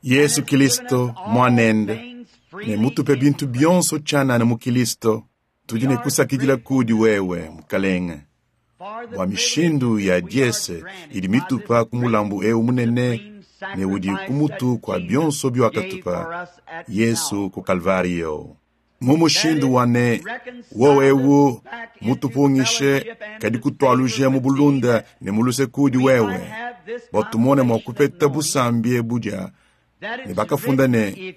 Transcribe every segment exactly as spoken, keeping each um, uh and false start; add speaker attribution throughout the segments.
Speaker 1: Yesu Kilisto mwanende ne mutupe bintu byonso tshianana mu Kilisto tudi ne kusakidila kudi wewe mukalenge bua mishindu ya diese idi mitupa ku mulambu eu munene ne udi ku mutu kua bionso biwakatupa Yesu ku Kalvario. Mu mushindu wa ne wowe ewu mutupungishe kadi kutualuje mu bulunda ne mu luse kudi wewe bua tumone mua kupeta busambi ebu dia ne bakafunda ne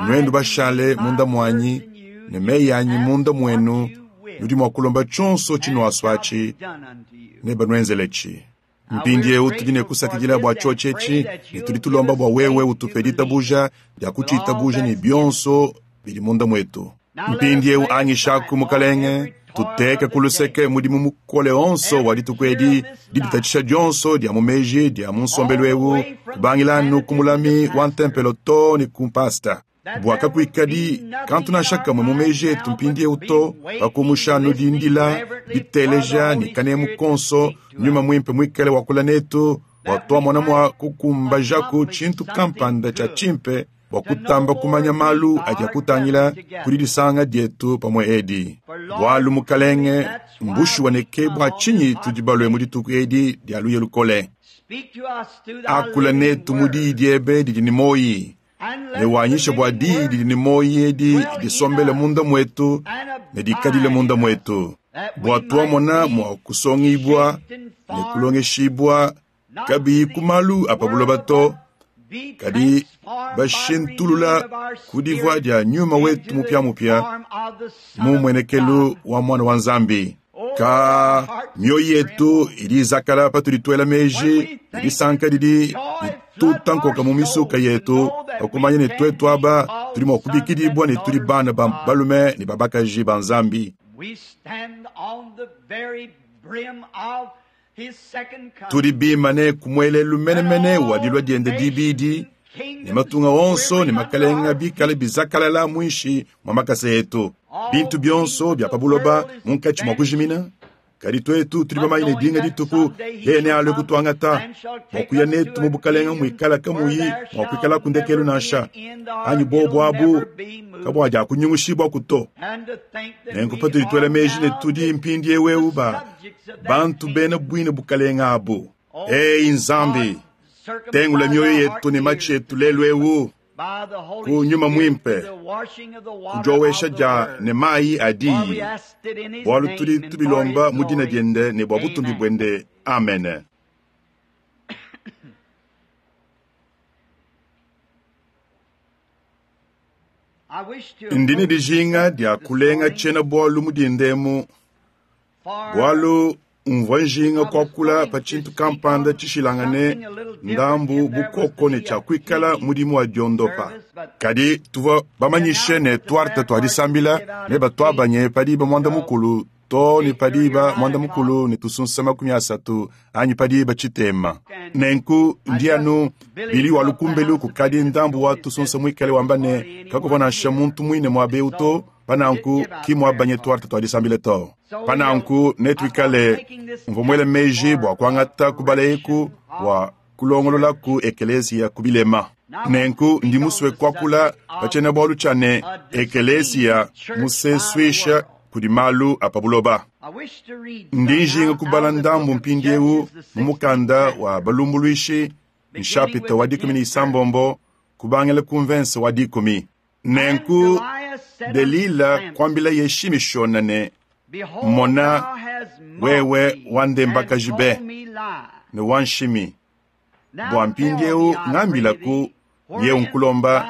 Speaker 1: nuenu bashale munda muanyi ne meyi anyi munda muenu nudi mua kulomba tshionso tshinuasua-tshi ne banuenzeletshi. Mpindieu tudi ne kusakidila bua tshiotshi etshi ne tudi tulomba bua wewe utupe ditabuja dia kutshitabuja ne bionso bidi munda muetu. Mpindieu anyishaku mukalenge tuteke ku luseke mudimu mukole onso wa dituku edi diditatshisha dionso dia mu meji dia mu nsombelu eu kubangila ku mulami wa ntempelo to ne ku mpasta bua kakuikadi kantu nansha kamwe mu meji etu mpindieu to pakumusha anu dindila diteleja ne kanemu konso nyuma muimpe muikale wakula netu bua tuamona mua kukumbajaku tshintu kampanda tshia tshimpe bua kutamba kumanya malu adi akutangila kudi disanga dietu pamue edi. Bualu mukalenge mbushuwa ne ke bua tshinyi tudi balue mu dituku edi dia luye lukole. Akula netu mu diyi diebe didi ne moyi ne wanyisha bua diyi didi ne moyi edi disombele munda muetu ne dikadile munda muetu bua tuamona mua kusongibua ne kulongeshibua kabiyi ku malu a pa buloba to kadi bashintulula ku divua dia nyuma wetu mupiamupia mu muenekelu wa mwana wa Nzambi. Ka mioyo yetu idi izakala patudi tuela meji ne disanka didi dituta nkoka mu misuka yetu pakumanya ne tuetu aba tudi mua kubikidibua ne tudi bana ba balume ne babakaji ba Nzambi. Tudi bimane ku muelelu menemene wa dilua diende dibidi ne matunga onso ne makalenga bikale bizakalala muinshi mua makasa etu. Bintu bionso bia pa buloba munkatshi mua kujimina, kadi tuetu tudi bamanye ne dinga dituku yeye nealue kutuangata bua kuya netu mu bukalenga muikala kamuyi mua kuikala ku ndekelu nansha anyi bobu abu kabuadia kunyungushibua to. Nenku patudi tuela meji ne tudi mpindieu eu ba bantu bena buine bukalenga abu. Ei Nzambi, tengula mioyo yetu ne matshi etu lelu eu ku nyuma muimpe kudiowesha dia ne mayi a diyi bualu tudi tubilomba mu dina diende ne bua butumbi buende. Amen. Ndi ne dijinga dia kulenga tshiena bualu mu dindemu bualu mvua njinga kuakula pa tshintu kampanda tshishilangane ndambu bukoko ne tshia kuikala mudimu wa diondopa. Kadi tuvua bamanyishe ne tuarte tua disambila ne batuabanye padiba muanda mukulu to ne padiba muanda mukulu ne tusunsa makumi asatu anyi padiba tshitema. Nenku ndi anu bili wa lukumbelu kukadi ndambu wa tusunsa muikale wamba ne kakuvua nansha muntu muine muaba to pananku ki muabanye tuarte tua disambila to. Pananku netuikale mvua muele meji bua kuangata kubala eku bua kulongolola ku ekeleziya ku bilema. Nenku ndi musue kuakula pa tshiena-bualu tshia ne ekeleziya musesuisha kudi malu a pa buloba. Ndi njinga kubala ndambu mpindieu mu mukanda wa balumbuluishi nshapita wa dikumi ne isambombo kubangila ku mvense wa dikumi. Nenku Delila kuambila ye Shimishona ne mona wewe wandembakaji be ne wanshimi bua mpindieu ngambilaku ye unkulomba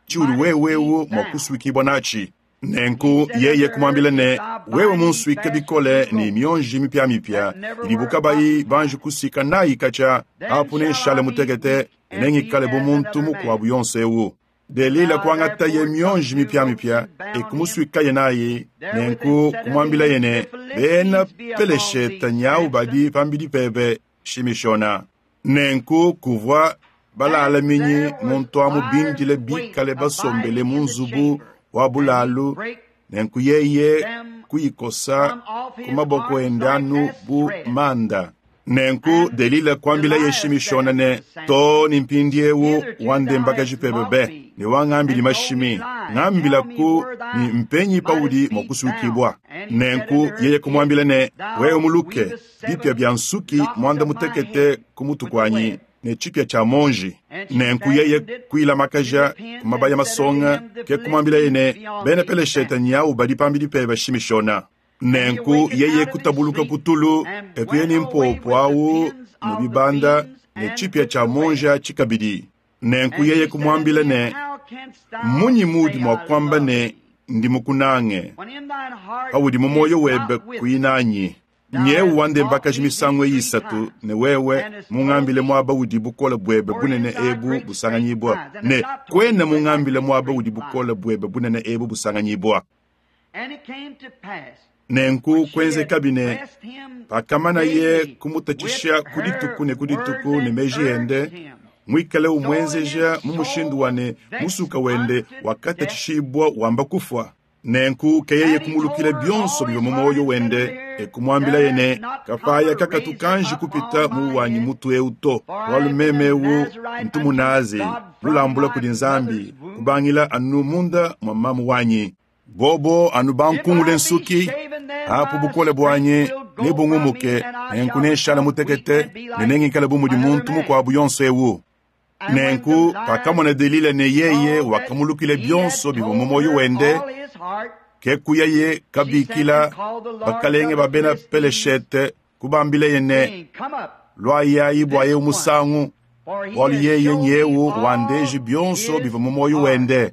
Speaker 1: tshiudi wewewu mua kusuikibua natshi. Nenku yeye kumwambila ne wewe munsuike bikole ne mionji mipiamipia idibu kabayi banji kusika nayi katshia apu nenshale mutekete nengikale bu muntu mukuabu yonso ewu. Delila kuangata ye mionji mipiamipia ekumusuikaye nayi nenku kumwambilaye ne bena Pelesheta nyawu badi pambidi pebe Shimishona. Nenku kuvua balalaminyi muntu amu bindile bikale basombele mu nzubu wa bulalu nenku yeye kuyikosa ku maboko ende anu bu manda. Nenku Delila kuambilaye Shimishona ne, too ne mpindiewu wandembakaji pebe be, ne wangambili mashimi, ngambilaku ne mpenyi paudi mua kusukibua. Nenku yeye kumwambila ne, wewe muluke bipia bya nsuki mwanda mutekete ku mutu kuanyi ne tshipia tshia monji. Nenku yeye kuilamakaja ku mabaya masonga, ke kumwambilaye ne, bena Peleshete nyawu badi pambidi pebe Shimishona. Nenku yeye kutabuluka kutulu, ekuye ni mpopo awu ne bibanda ne tshipia tshia monja tshikabidi. Nenku yeye kumwambila ne, munyi mudi mua kuamba ne ndi mukunange, paudi mu moyo webe kuinanyi? Nyewu wandembakaji misangu isatu ne wewe mungambile mwaba udi bukole bwebe bunene ebu busanganyibwa, ne kwena mungambile mwaba udi bukole bwebe bunene ebu busanganyibwa. Nenku kwenzekabi ne pakamanaye kumutatshisha ku dituku ne ku dituku ne meji ende, mwikale umwenzeja mu mushindu wa ne musuka wende wakatatshishibwa wamba kufwa. Nenku keyeye kumulukila byonso bivua mu moyo wende, e kumwambilaye ne, kapaya kakatu kanji kupita mu wanyi mutu eu to, bualu meme eu ntu munazi, mulambula kudi Nzambi, kubangila anu munda mwa mamu wanyi. Bobo anu bankungule nsuki, apo bukole bwanyi nebungumuke, nenku nenshala mutekete, ne nengikale bu mudi muntu mukuabu yonso ewu. Nenku pakamona Delila ne yeye wakamulukila byonso bivua mu moyo wende, ke kuyaye kabikila bakalenge ba bena Peleshete, kubambileye ne, lwayayi bwaye musangu, bualu yeye nyewu wandeji byonso bivua mu moyo wende.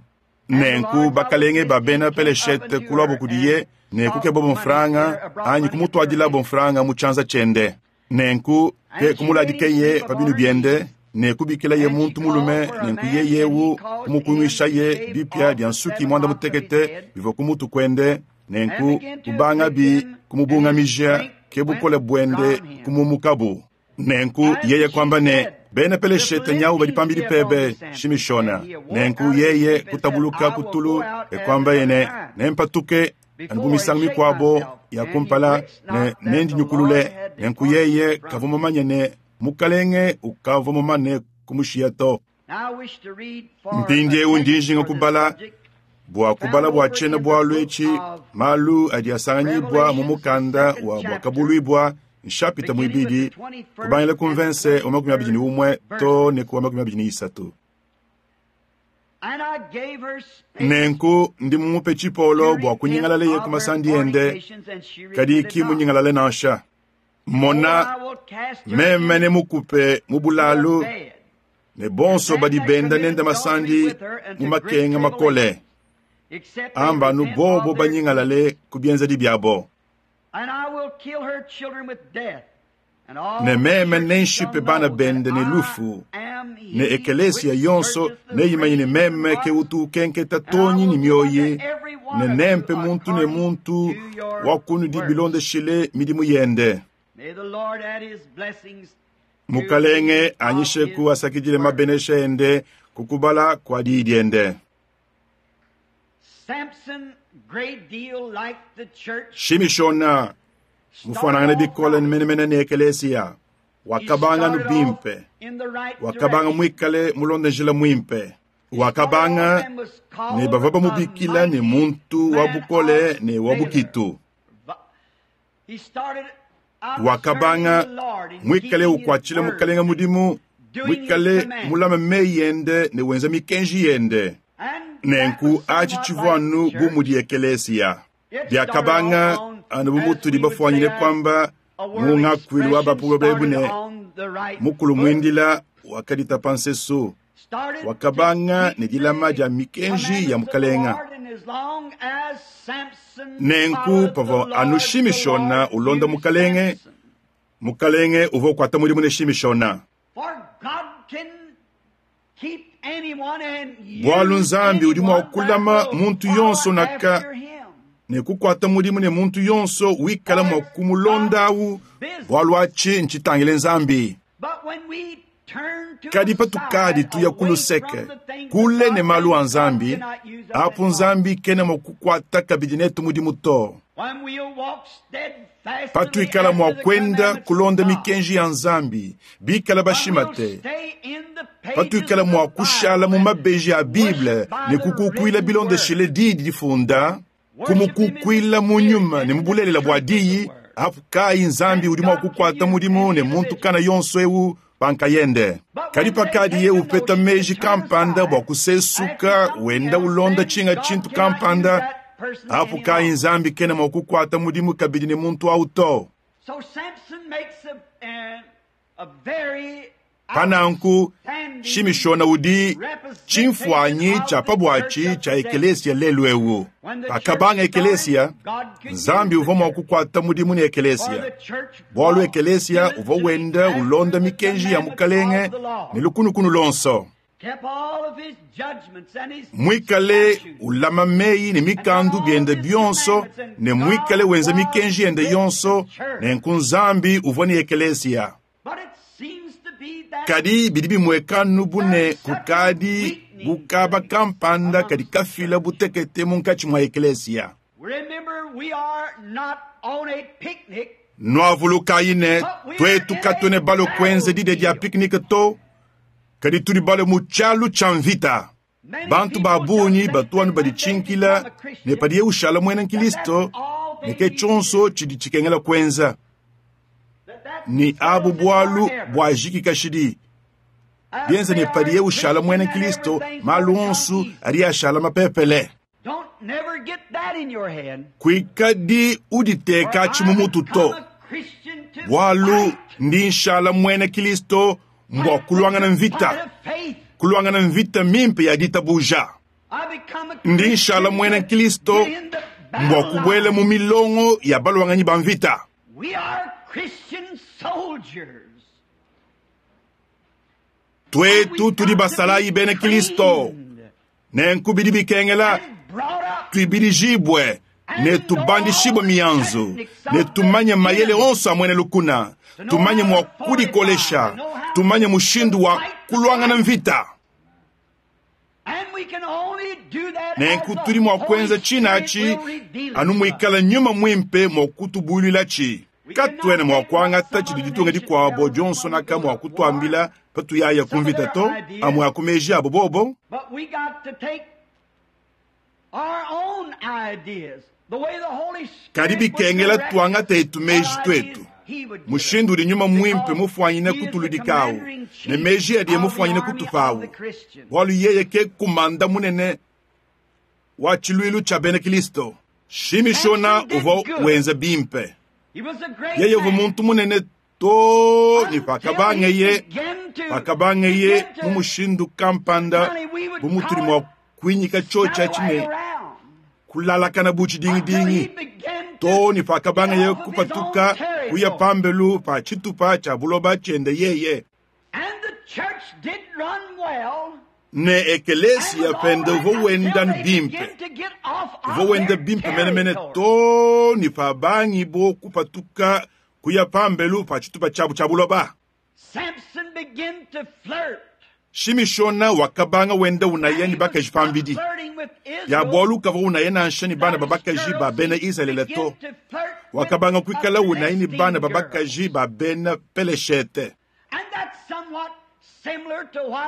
Speaker 1: Nenku bakalenge ba bena Peleshete kulwabo kudiye ne kukeba mfranga anyi kumutwadilabo mfranga mu tshianza tshiende. Nenku ke kumuladikeye pa binu biende ne kubikilaye muntu mulume, nenku yeyewu kumukunwishaye bipia bya nsuki mwanda mutekete bivua ku mutu kuende, nenku kubangabi kumubungamija ke bukole bwende kumumukabu. Nenku yeye kwamba ne, bena Peleshete nyawu badi pambidi pebe Shimishona. Nenku yeye kutabuluka kutulu e kwamba yene nempatuke anu bu misangu mikuabo ya kumpala ne nendinyukulule. Nenku yeye kavua mumanye ne mukalenge ukavua mumane kumushiya to. Mpindiewu ndi njinga kubala bua kubala bua tshiena bualu etshi malu adi asanganyibwa mu mukanda wa Buakabuluibua nshapita muibidi, kubangila ku mvense wa makumi abidi ne umwe to ne ku wa makumi abidi ne isatu. Nenku ndi mumupe tshipolo bua kunyingalaleye ku masandi ende, kadi ki munyingalale nansha. Mona, meme ne mukupe mu bulalu, ne bonso badi benda nende masandi mu makenga makole, amba nu bobo banyingalale ku bienzedi byabo. Ne meme nenshipe bana bende ne lufu, ne ekelesia yonso neimanye ne meme ke utu ukenketa tonyi ni mioyi, ne nempe muntu ne muntu wa kunudi bilondeshile midimu yende. Mukalenge anyisheku asakidile mabenesha ende kukubala kwa diyi diende. Shimishona mufanangane bikole menemene ne ekelesia, wakabanga nu bimpe, wakabanga mwikale mulonde njila mwimpe, wakabanga ne bavua bamubikila ne muntu wa bukole ne wa bukitu. Wakabanga mwikale ukwatshila mukalenga mudimu, mwikale mulame meyi yende ne wenza mikenji yende. Nenku achi tshivua anu bu mudi ekelesia. Byakabanga anu bu mutudi bafuanyine kwamba mu ngakuilu wa bapuwe bebu ne mukulu mwindila wakaditapa nsesu, wakabanga ne dilama dia mikenji ya mukalenga. Nenku pavua anu Shimishona ulonda mukalenge, mukalenge uvua ukuata mudimu ne Shimishona. Bualu Nzambi udi mua kulama muntu yonso naka ne kukuata mudimu ne muntu yonso wikala mua kumulondawu, bualu atshi ntshitangile Nzambi. Kadi patukadi tuya ku luseke kule ne malu a Nzambi, apu Nzambi kena mua kukuata kabidi netu mudimu to. Patuikala mua kwenda kulonda mikenji ya Nzambi bikala bashimate, patuikala mua kushala mu mabeji a Bible ne kukukuila bilondeshile diyi difunda, kumukukuila mu nyuma ne mu bulelela bua diyi, apu kayi Nzambi udi mua kukuata mudimu ne muntu kana yonso ewu pankayende. Kadi pakadiye upeta meji kampanda bua kusesuka wenda ulonda tshinga tshintu kampanda, apu kayi Nzambi kena mua kukuata mudimu kabidi ne muntu awu to. Pananku Shimishona udi tshimfuanyi tshia pabuatshi tshia ekelesia lelu ewu. Pakabanga ekelesia, Nzambi uvua mua kukuata mudimu ne ekelesia, bualu ekelesia uvua wenda ulonda mikenji ya Mukalenge ne lukunukunu lonso, mwikale ulama meyi ne mikandu biende bionso ne mwikale wenza mikenji yende yonso. Nenku Nzambi uvua ne ekelesia. Kadi bidi bimwekanu bune kukadi bukaba kampanda kadi kafila butekete munkatshi mwa ekelesia. Nwavulukayi ne twetu katwene balo kwenza dide dia piknike to, kadi tudi balo mu tshialu tshia mvita. Bantu ba bungi batuanu baditshinkila ne padiye ushala mwena Nkristo ne ke tshionso tshidi tshikengela kwenza. Ni abu bwalu bwa jiki kashidi bienza ne padiye ushala mwena Kristo malu onso adi ashala mapepele. Kuikadi uditeka tshimumutu to, bwalu ndi nshala mwena Kristo mbwa kulwangana mvita, kulwangana mvita mimpe ya ditabuja. Ndi nshala mwena Kristo mbwa kubwela mu milongo ya balwanganyi ba mvita. Twetu tudi basalayi bena Kristo nenku bidi bikengela tuibilijibwe ne tubandishibwe mianzu ne tumanye mayele onso amwene lukuna, tumanye mwa kudikolesha, tumanye mushindu wa kulwangana mvita. Nenku tudi mwa kwenza tshinachi anu mwikala nyuma mwimpe mwa kutubululatshi. Katwene mwa kuangata tshidi ditunga dikuabo dionso naka mwa kutuambila patuyaya kumvita to amwe akumeji abo bobo. Kadi bikengela tuangata etu meji twetu mushindu udi nyuma mwimpe mufuanyine kutuludikawu ne meji adiye mufuanyine kutupawu, bualu yeye ke kumanda munene wa tshiluilu tshia bena Kristo. Shimishona uvua wenza bimpe, yeye uvua muntu munene to ne pakabangeye pakabangeye mu mushindu kampanda bu mutudi mua kuinyika tshotshi atshi ne kulalakana bu tshidingidingi to ne pakabangeye kupatuka kuya pambelu pa tshitupa tshia buloba tshiende yeye. Ne ekelesia pende uvua wenda bimpe, uvua wenda bimpe menemene to ne pabangi bo kupatuka kuya pambelu pa tshitupa tshiabu tshia buloba. Shimishona wakabanga wenda unaya ne bakaji pambidi ya bualu kavua unaya nansha ne bana ba bakaji ba bena Israele to, wakabanga kuikala unaya ne bana ba bakaji ba bena Peleshete.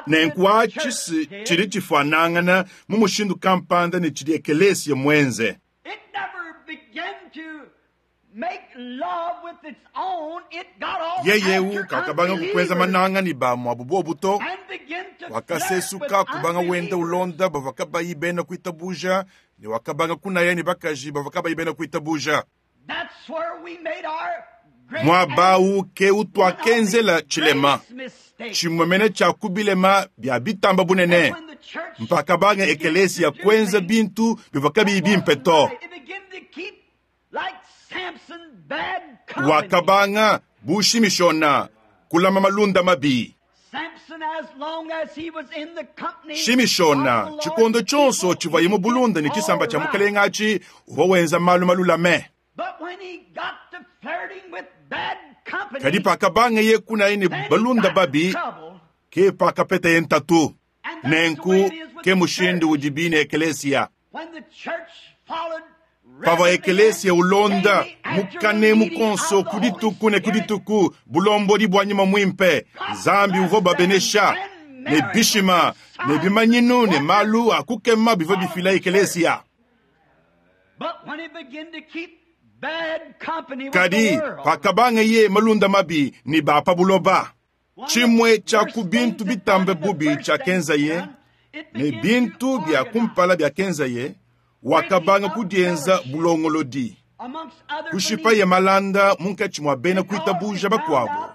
Speaker 1: Nenku atshi tshidi tshifuanangana mu mushindu kampanda ne tshidi ekelesia mwenze. Yeye kakabanga kukweza mananga ni ba mwabu bobu to, wakasesuka kubanga wenda ulonda bavua bayi bena kuitabuja ne wakabanga kunaya ne bakaji bavua bayi bena kuitabuja. Mwabau ke utwakenzela tshilema tshimwemene tshia kubilema bya bitamba bunene mpaka banga ekelesia kwenza bintu bivua kabiyi bimpe to. Wakabanga bushimishona kulama malunda mabi. Shimishona tshikondo tshonso tshivuaye mu bulunda ne tshisamba tshia mukalenga atshi uvua wenza malu malulame. Kadi pakabanga ye kunaye ne balunda babi ke pakapetaye ntatu. Nenku ke mushindu udi bine ekelesia. Pavua ekelesia ulonda mukanemu konso ku dituku ne ku dituku bulombodi bua nyuma muimpe, Nzambi uvua babenesha ne bishima ne bimanyinu ne malu a kukema bivua bifila ekelesia. Kadi pakabanga ye malunda mabi ne ba pa buloba, tshimue tshia ku bintu bitambe bubi tshiakenzaye ne bintu bia kumpala biakenzaye, wakabanga kudienza bulongolodi, kushipaye malanda munkatshi mua bena kuitabuja bakuabo,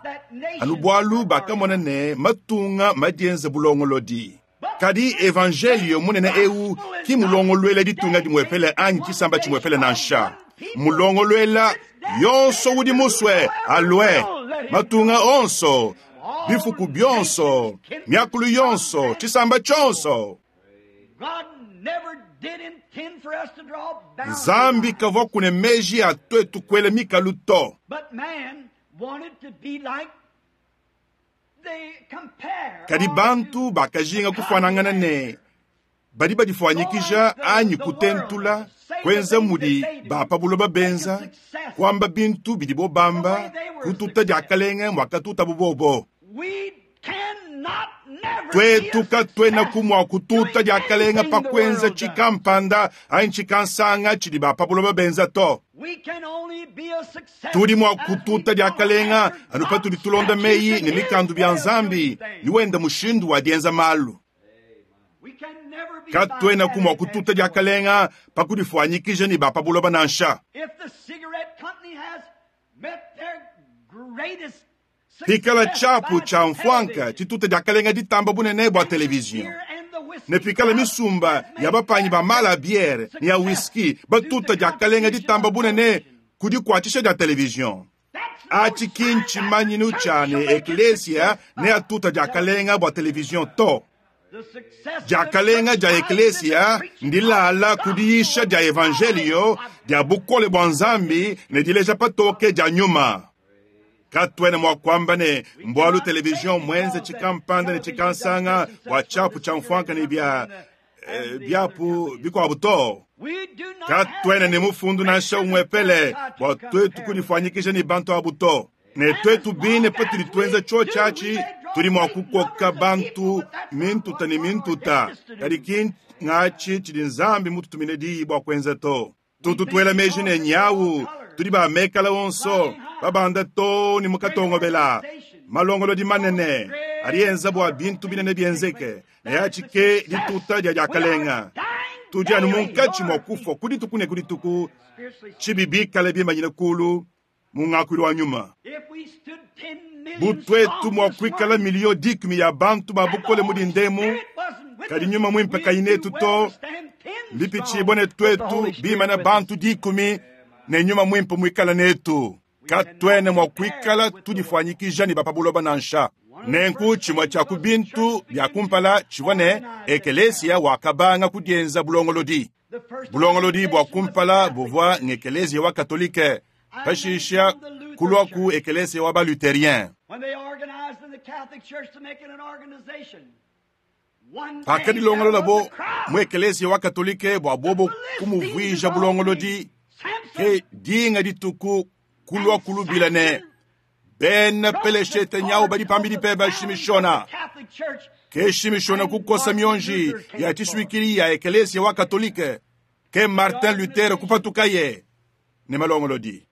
Speaker 1: anu bualu bakamona ne matunga madienza bulongolodi. Kadi evangelio munene eu ki mulongoluela ditunga dimuepele anyi tshisamba tshimuepele nansha, mulongoluela yonso udi musue alue, matunga onso, bifuku bionso, miakulu yonso, tshisamba tshionso. Nzambi kavua kune meji a twetu kuela mikalu to. Kadi bantu bakajinga kufanangana ne badi badifuanyikija anyi kutentula, kuenza mudi ba pa buloba benza, kuamba bintu bidibo bamba, kututa diakalenga mwakatuta bubobo. Twetu katwena kumwa kututa diakalenga pa kuenza tshikampanda anyi tshikansanga tshidi ba pa buloba benza to. Tudi mua kututa diakalenga anu patudi tulonda meyi ne mikandu bia Nzambi ni wenda mushindu wa dienza malu. Katwena kumwa kututa diakalenga pa kudifuanyikija ne ba pa buloba nansha. Pikala tshiapu tshia mfwanka tshituta diakalenga ditamba bunene bua televizion, ne pikala misumba ya bapanyi ba mala biere ne ya whisky batuta diakalenga ditamba bunene kudikuatshisha dia televizion, atshi ki ntshimanyinu tshia ne eklesia ne atuta diakalenga bua televizion to. Diakalenga dia eklesia ndilala kudiisha dia evangelio dia bukole bua Nzambi ne dileja patoke dia nyuma. Katwena mwa kwamba ne mbwalu televizion mwenze tshikampanda ne tshikansanga bua tshiapu tshia mfwanka ne bia eh, biapu bikuabu to. Katwena ne mufundu nansha umwepele bua twetu kudifuanyikija ne bantu abu to. Ne twetu bine patudi tuenza tsho tshiatshi tudi mua kukoka bantu mintuta ne mintuta, kadi ki ngatshi tshidi Nzambi mututumine diyi bua kuenza to. Tutu tuela meji ne nyawu tudi ba mekala onso babanda to ni mukatongobela malongolodi manene alienza bua bintu binene bienzeke na yatshike dituta dia diakalenga. Tudi anu munkatshi mua kufua kudituku ne kudituku tshibi bikale bimanyine kulu mu ngakuilu wa nyuma. Butwetu mua kuikala milio dikumi ya bantu ba bukole mudi ndemu, kadi nyuma mwimpe kayinetu to mbipitshibwa ne twetu bimana bantu dikumi ne nyuma mwimpe mwikala netu. Katwene mwa kuikala tudifuanyikija ne ba pa buloba nansha. Nenku tshimue tshia ku bintu bia kumpala tshivua ne ekelesia wakabanga kudienza bulongolodi. Bulongolodi bua kumpala buvua ngekelesia wa katolike, pashisha kulua ku ekelesia wa baluterien. Pakadilongolola bo mu ekelesia wa katolike bua bobo kumuvuija bulongolodi, ke dinga dituku kulua kulubila ne bena peleshete nyau badi pambidi pe bashimishona. Ke shimishona kukosa mionji ya tshisuikili ya ekelesia wa katolike, ke Martin Luther kupatukaye ne malongolodi.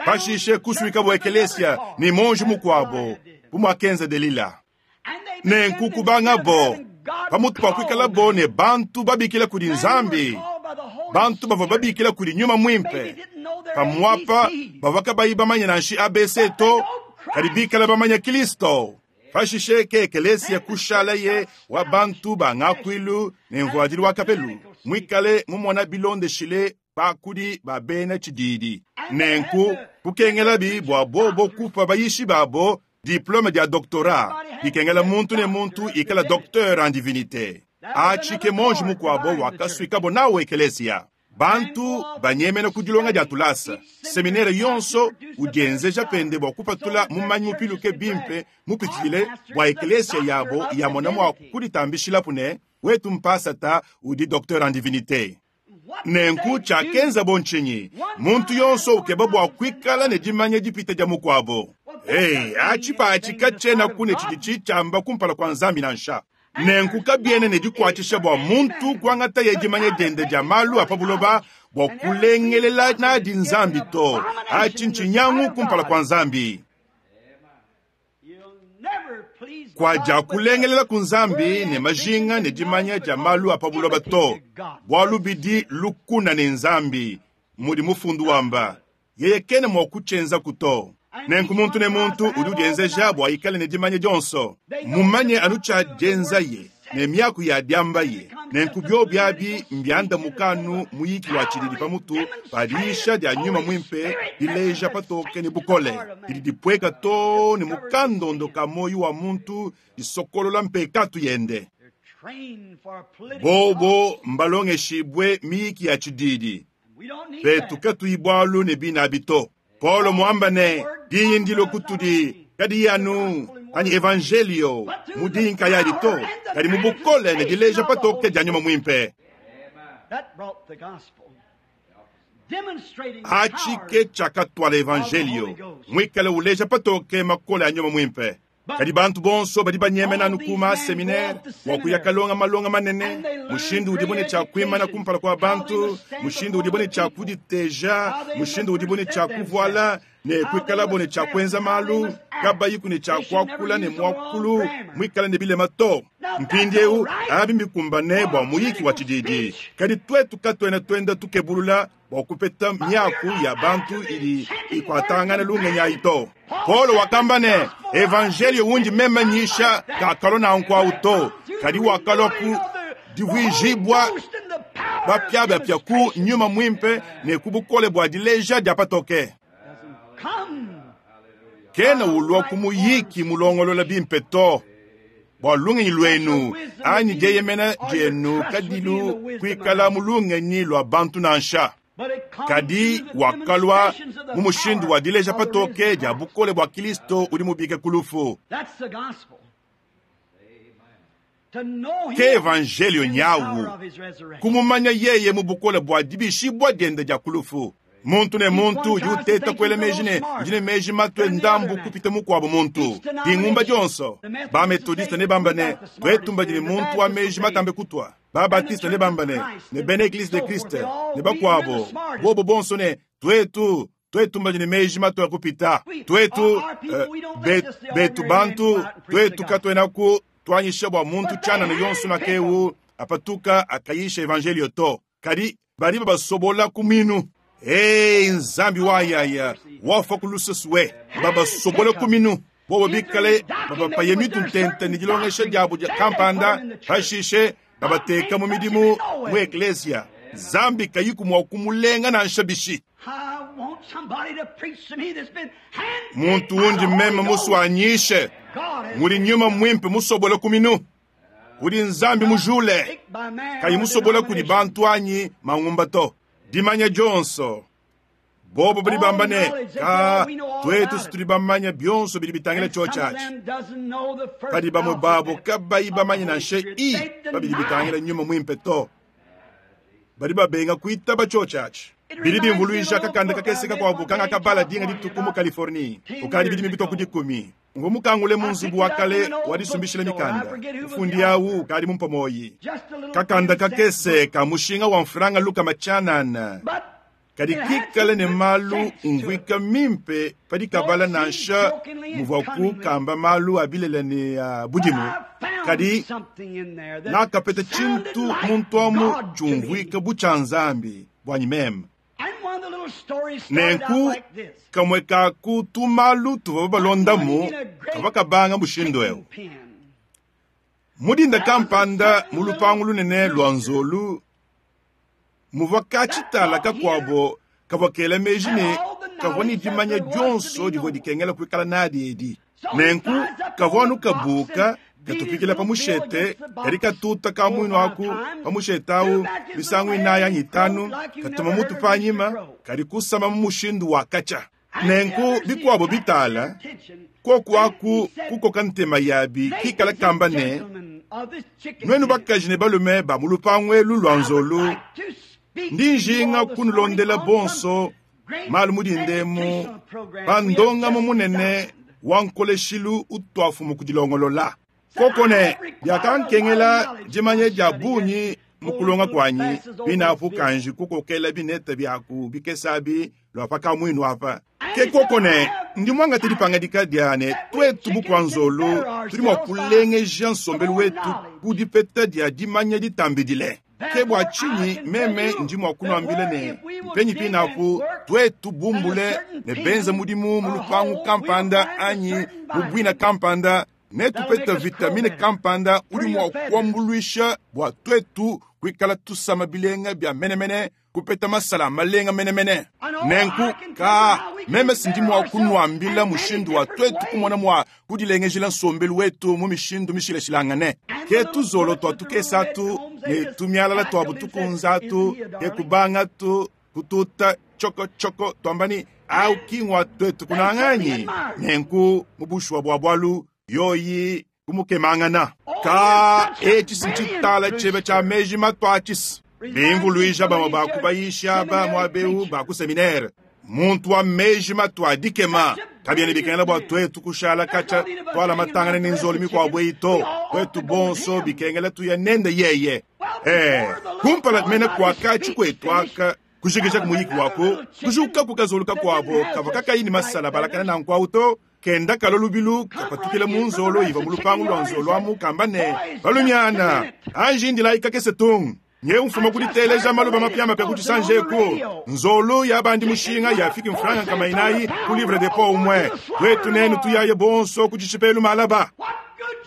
Speaker 1: Pashishe kusuika bua ekelesia ni monji mukuabo bumwakenza Delila. Nenku kubanga bo pamutu pa kuikala bo ne bantu babikila kudi Nzambi, bantu bavua babikila kudi nyuma mwimpe, pamuapa bavua kabayi bamanya nanshi A B C to, kadi bikala bamanya Kristo. Pashishe ke ekelesia kushala ye wa bantu ba ngakuilu ne mvuadilu wa kapelu, mwikale mumona bilondeshile bakudi ba bena tshididi. Nenku kukengelabi bua bobo kupa bayishi babo diplome dia doctorat, ikengela muntu ne muntu ikala docteur en divinité. Atshi ke monji mukuabo wakasuikabo nawo ekelesia. Bantu banyemena kudilonga dia tulasa, seminere yonso udienzeja pende bua kupatula mumanyi mupiluke bimpe mupitshile bua ekelesia yabo ya mona mua kuditambishilapu ne wetu mpasata udi docteur en divinité. Nenku tshiakenzabo ntshinyi? Muntu yonso ukeba bua kuikala ne dimanya dipite dia mukuabo. Hey, atshi patshi katshienaku ne tshidi tshiamba kumpala kua Nzambi nansha. Nenku kabiena ne dikuatshisha bua muntu kuangataye dimanya diende dia malu a pa buloba bua kulengelela nadi Nzambi to. Atshi ntshinyangu kumpala kua Nzambi. Kua dia kulengelela ku Nzambi ne majinga ne dimanya dia malu a pa buloba to, bualu bidi lukuna ne Nzambi, mudi mufundu wamba. Yeye kena mua kutshienzaku to. Nenku muntu ne muntu udi udienzeja bua ikale ne dimanya dionso, mumanye anu tshia dienzaye ne miaku ya diambaye. Nenku biobi abi mbiandamuka anu muyiki wa tshididi pamutu pa diyisha dia nyuma muimpe dileja patoke ne bukole didi dipueka to ne mukandondo ka moyo wa muntu disokolola mpekatu yende. Bobo mbalongeshibwe miyiki ya tshididi petu katuyi bualu ne binabi to. Paulo muamba ne diyi ndilo kutudi kadi anu anyi evangelio mu diyi nkayadi to, kadi mu bukole ne dileja patoke dia nyuma muimpe. Atshi ke tshiakatuala evangelio muikale uleja patoke makole a nyuma muimpe. Kadi bantu bonso badi banyemena anu ku maseminaire bua kuya kalonga malonga manene, mushindu udibo ne tshia kuimana kumpala kua bantu, mushindu udibo ne tshia kuditeja, mushindu udibo ne tshia kuvuala ne kuikalabo ne tshia kuenza malu, kabayiku ne tshia kuakula ne muakulu muikale ne bilema to. Mpindieu abi mbikumbane bua muyiki wa tshididi, kadi tuetu katuena tuenda tukebulula bua kupeta miaku ya bantu idi ikuatangana lungenyi ayi to. Paulo wakamba ne evangelio wundi meme nyisha kakalua nanku to, kadi wakalua ku divuijibua bapiabapia ku nyuma muimpe ne ku bukole bua dileja dia patoke. Kena ulua ku muyiki mulongolola bimpe to bua lungenyi luenu anyi dieyemena dienu kadilu kuikala mu lungenyi lua bantu nansha. Kadi wakalua mu mushindu wa dileja patoke dia bukole bua Kristo udi mubike ku lufu. Ke evangelio nyawu kumumanya yeye mu bukole bua dibishibua diende dia ku lufu. Muntu ne muntu udi uteta kuela meji ne udi ne meji matue ndambu kupita mukuabo muntu. Dingumba dionso bametodiste ne bamba ne tuetu mbadi ne muntu wa meji matambe kutua, babatiste ne bamba ne ne bena eglise de Christ ne bakuabo bobo bonso ne tuetu tuetu mbadi ne meji matue kupita tuetu, uh, betu bantu tuetu katuenaku tuanyisha bua muntu tshianana yonso nakewu apatuka akayisha evangelio to, kadi badi babasobola ku minu. Hey, Nzambi wayaya wafa ku lusesu we babasobola ku minu bobo bikale babapaye mitu ntente ne dilongesha diabo dia kampanda, pashishe babateka mu midimu mu eklesia. Nzambi kayiku mua kumulenga nansha bishi. Muntu wundi meme musuanyishe mudi nyuma muimpe musobola ku minu, udi Nzambi mujule kayi musobola kudi bantu anyi mangumba to. Dimanya dionso bobo badi bamba ne ka tuetu situdi bamanya bionso bidi bitangila tshio tshiatshi, kadi bamue babo kabayi bamanye nansha i babidi bitangila nyuma muimpe to, badi babenga kuitaba tshio tshiatshi. Bidi bimvuluisha kakanda kakese kakuabu kanga kabala dinga dituku mu Californie ukadi bidi mibitwa ku dikumi. Mvua mukangule mu nzubu wa kale wa disumbishila mikanda, ufundi awu ukadi mumpa moyi. Kakanda kakese ka mushinga wa mfranga lukama tshianana, kadi kikale ne malu umvuika mimpe padi kabala nansha muvua kukamba malu a bilele ne a budimu, kadi nakapeta tshintu muntu amu tshiumvuika bu tshia Nzambi buanyi meme. Nenku kamue ka ku tumalu tuvua balondamu kavua kabanga mushindu eu. Mudinda kampanda mu lupangu lunene lua nzolu muvua katshitala kakuabo kavua kela meji ne kavua ne dimanya dionso divua dikengela kuikala nadi edi. Nenku kavua anu kabuka katupikila pa mushete, kadi katuta ka muinu aku pa mushete awu misangu inayi anyi itanu, katuma mutu panyima, kadi kusama mu mushindu wa katshia. Nenku bikuabo bitala koku aku kukoka ntema yabi kikala kamba ne nuenu bakaji ne balume ba mu lupangu elu lua nzolu Ndi njinga kunulondela bonso malu mudindemu pandongamu munene wa nkoleshilu utwafumu kudilongolola. Kokone byakankengela dimanya dia bungi mukulonga kwanyi binapu kanji kukokela bineta byaku bikesabi lwapa kamwinu apa. Ke kokone ndi mwangate dipangadika diane twetu bukwanzolo tudi mwa kulengeja nsombelu wetu kudipeta dia dimanya ditambidile. Ke bua tshinyi meme ndi mwa kunwambile ne mpenyi pinapu twetu bumbule ne benza mudimu mu lupangu kampanda anyi mu bwina kampanda netupeta vitamine kampanda udi mwa kuambuluisha bua twetu kuikala tusama bilenga bya menemene kupeta masala malenga menemene. Nenku ka meme sindi mwa kunwambila mushindu wa twetu kumona mwa kudilengejela nsombelu wetu mu mishindu mishilashilangane. Ke tuzolo twa tukesatu ne tumialala twa butukunzatu ke kubangatu kututa choko choko twambani au kingwa twetu kunanganyi. Nenku mubushwa bwa bwalu yoyi kumukemangana. Ka echi sinchitala chebe cha meji matwachis. Bimvuluija bamwe bakubayisha bamwe abeu baku seminaire. Muntu wa meji matwa dikema. Kabyene bikengela bwa twetu kushala kacha twala matangane n'inzolo mikwabo ito. Twetu bonso bikengela tuya nende yeye. Eh, kumpala mene kwa kachi kwetu aka kushikisha kumuyiki wako kushuka kukazuluka kwabo kava kakayini masala balakana na nkwauto kenda kalo lubilu kapatukile munzolo iva mulupangu lwa nzolo amu kamba ne balumiana anji ndila ikakese tung nye mfuma kuditeleja maluba mapyama pe kuchisanjeku nzolo yabandi mushinga yafiki mfranga kama inayi ku livre de po umwe twetu nenu tuyaye bonso kuchichipelu malaba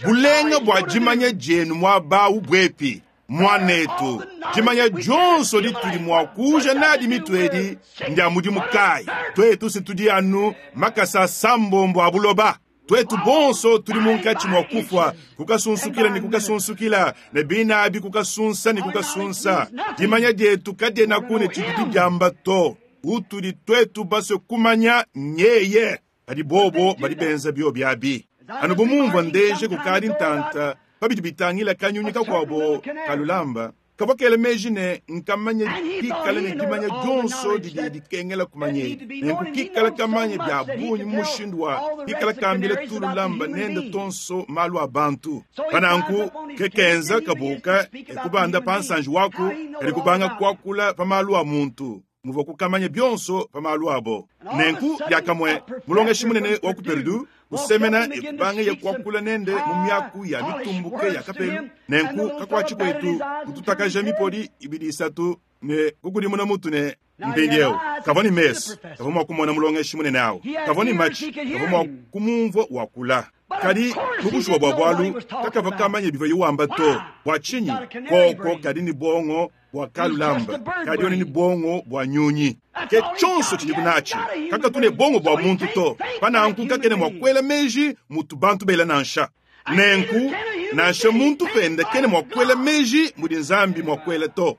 Speaker 1: bulenga bwa jimanya jenu mwaba ubwepi mwanetu jimanya jonso lituli mwakuja nadi mitwedi ndia mudimu kai twetu situdi anu makasa sambombo abuloba twetu bonso tuli munkachi mwakufa kukasunsukila ni kukasunsukila ne binabi kukasunsa ni kukasunsa dimanya dietu kadiena kune tshidi diamba to utuli twetu baswe kumanya nyeye badi bobo badi benza bio byabi anu bumumva ndeje kukadi ntanta pabidi bitangila kanyunyi kakwabo kalulamba kavakele meji ne nkamanye kikala ne dimanya jonso didi dikengela kumanye nenku kikala kamanye bya bunyi mushindu wa kikala kambile tululamba nende tonso malu a bantu pananku kekenza kabuka ekubanda pansanji waku kali kubanga kwakula pa malu a muntu muva kukamanya byonso pa malu abo nenku lyakamwe mulongeshi munene wa ku Perdu kusemena ekubanga yekwakula nende mu myaku ya mitumbuke ya kapelu nenku kakwachi kwetu kututakaja mipoli ibidi isatu ne kukulimuna mutu ne mpindiewu kava ni mesu kava mwa kumona mulongeshi munene awo kava ni machi kava mwa kumumva wakula kadi mubushuwa bwa bwalu kakava kamanya biva yiwamba to bwa tshinyi koko kadi ni bongo bwa kalulamba kadi yone ni bongo bwa nyunyi ke tshonso tshidi kunachi kaka tune bongo bwa muntu to pananku kakene mwa kwela meji mutu bantu bela nansha nenku nansha muntu pende kene mwa kwela meji mudi nzambi mwa kwela to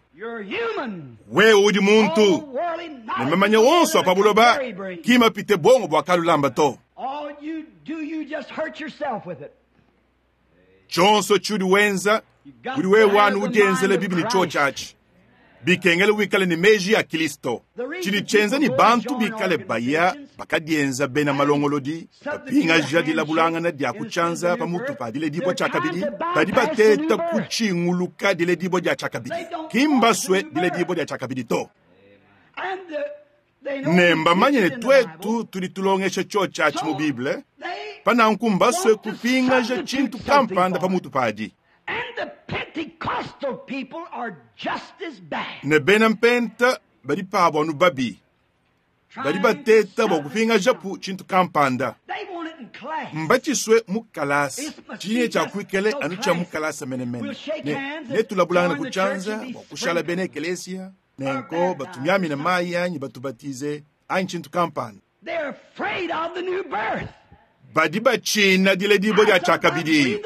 Speaker 1: wewe udi muntu ne mamanya onso apa buloba kima pite bongo bwa kalulamba to tshonso tshudi wenza udi wewanu udienzele bibi ni cho chachi bikengele wikale ni meji ya Kristo tshidi tshenza ni bantu bikale baya bakadienza bena malongolodi bapingaja dilabulangana dia kutshanza pamutu pa diledibwa tshia kabidi badi bateta kutshinguluka diledibwa dia tshia kabidi kimbaswe diledibwa dia tshia kabidi to ne mbamanye ne twetu tudi tulongesha tshio tshiatshi mu Bible pananku mbaswe kupingaja tshintu kampanda pamutu padi ne bena mpenta badi pabo anu babi badi bateta bua kupingajapu tshintu kampanda mbatshiswe mu kalasa tshinye tshia kuikele anu tshia mu kalasa menemene ne netulabulangana ku tshianza bua kushala bena ekelesia nenko batumiamina mayi anyi batubatize anyi tshintu kampanda badi batshina diledibwa dia tshiakabidi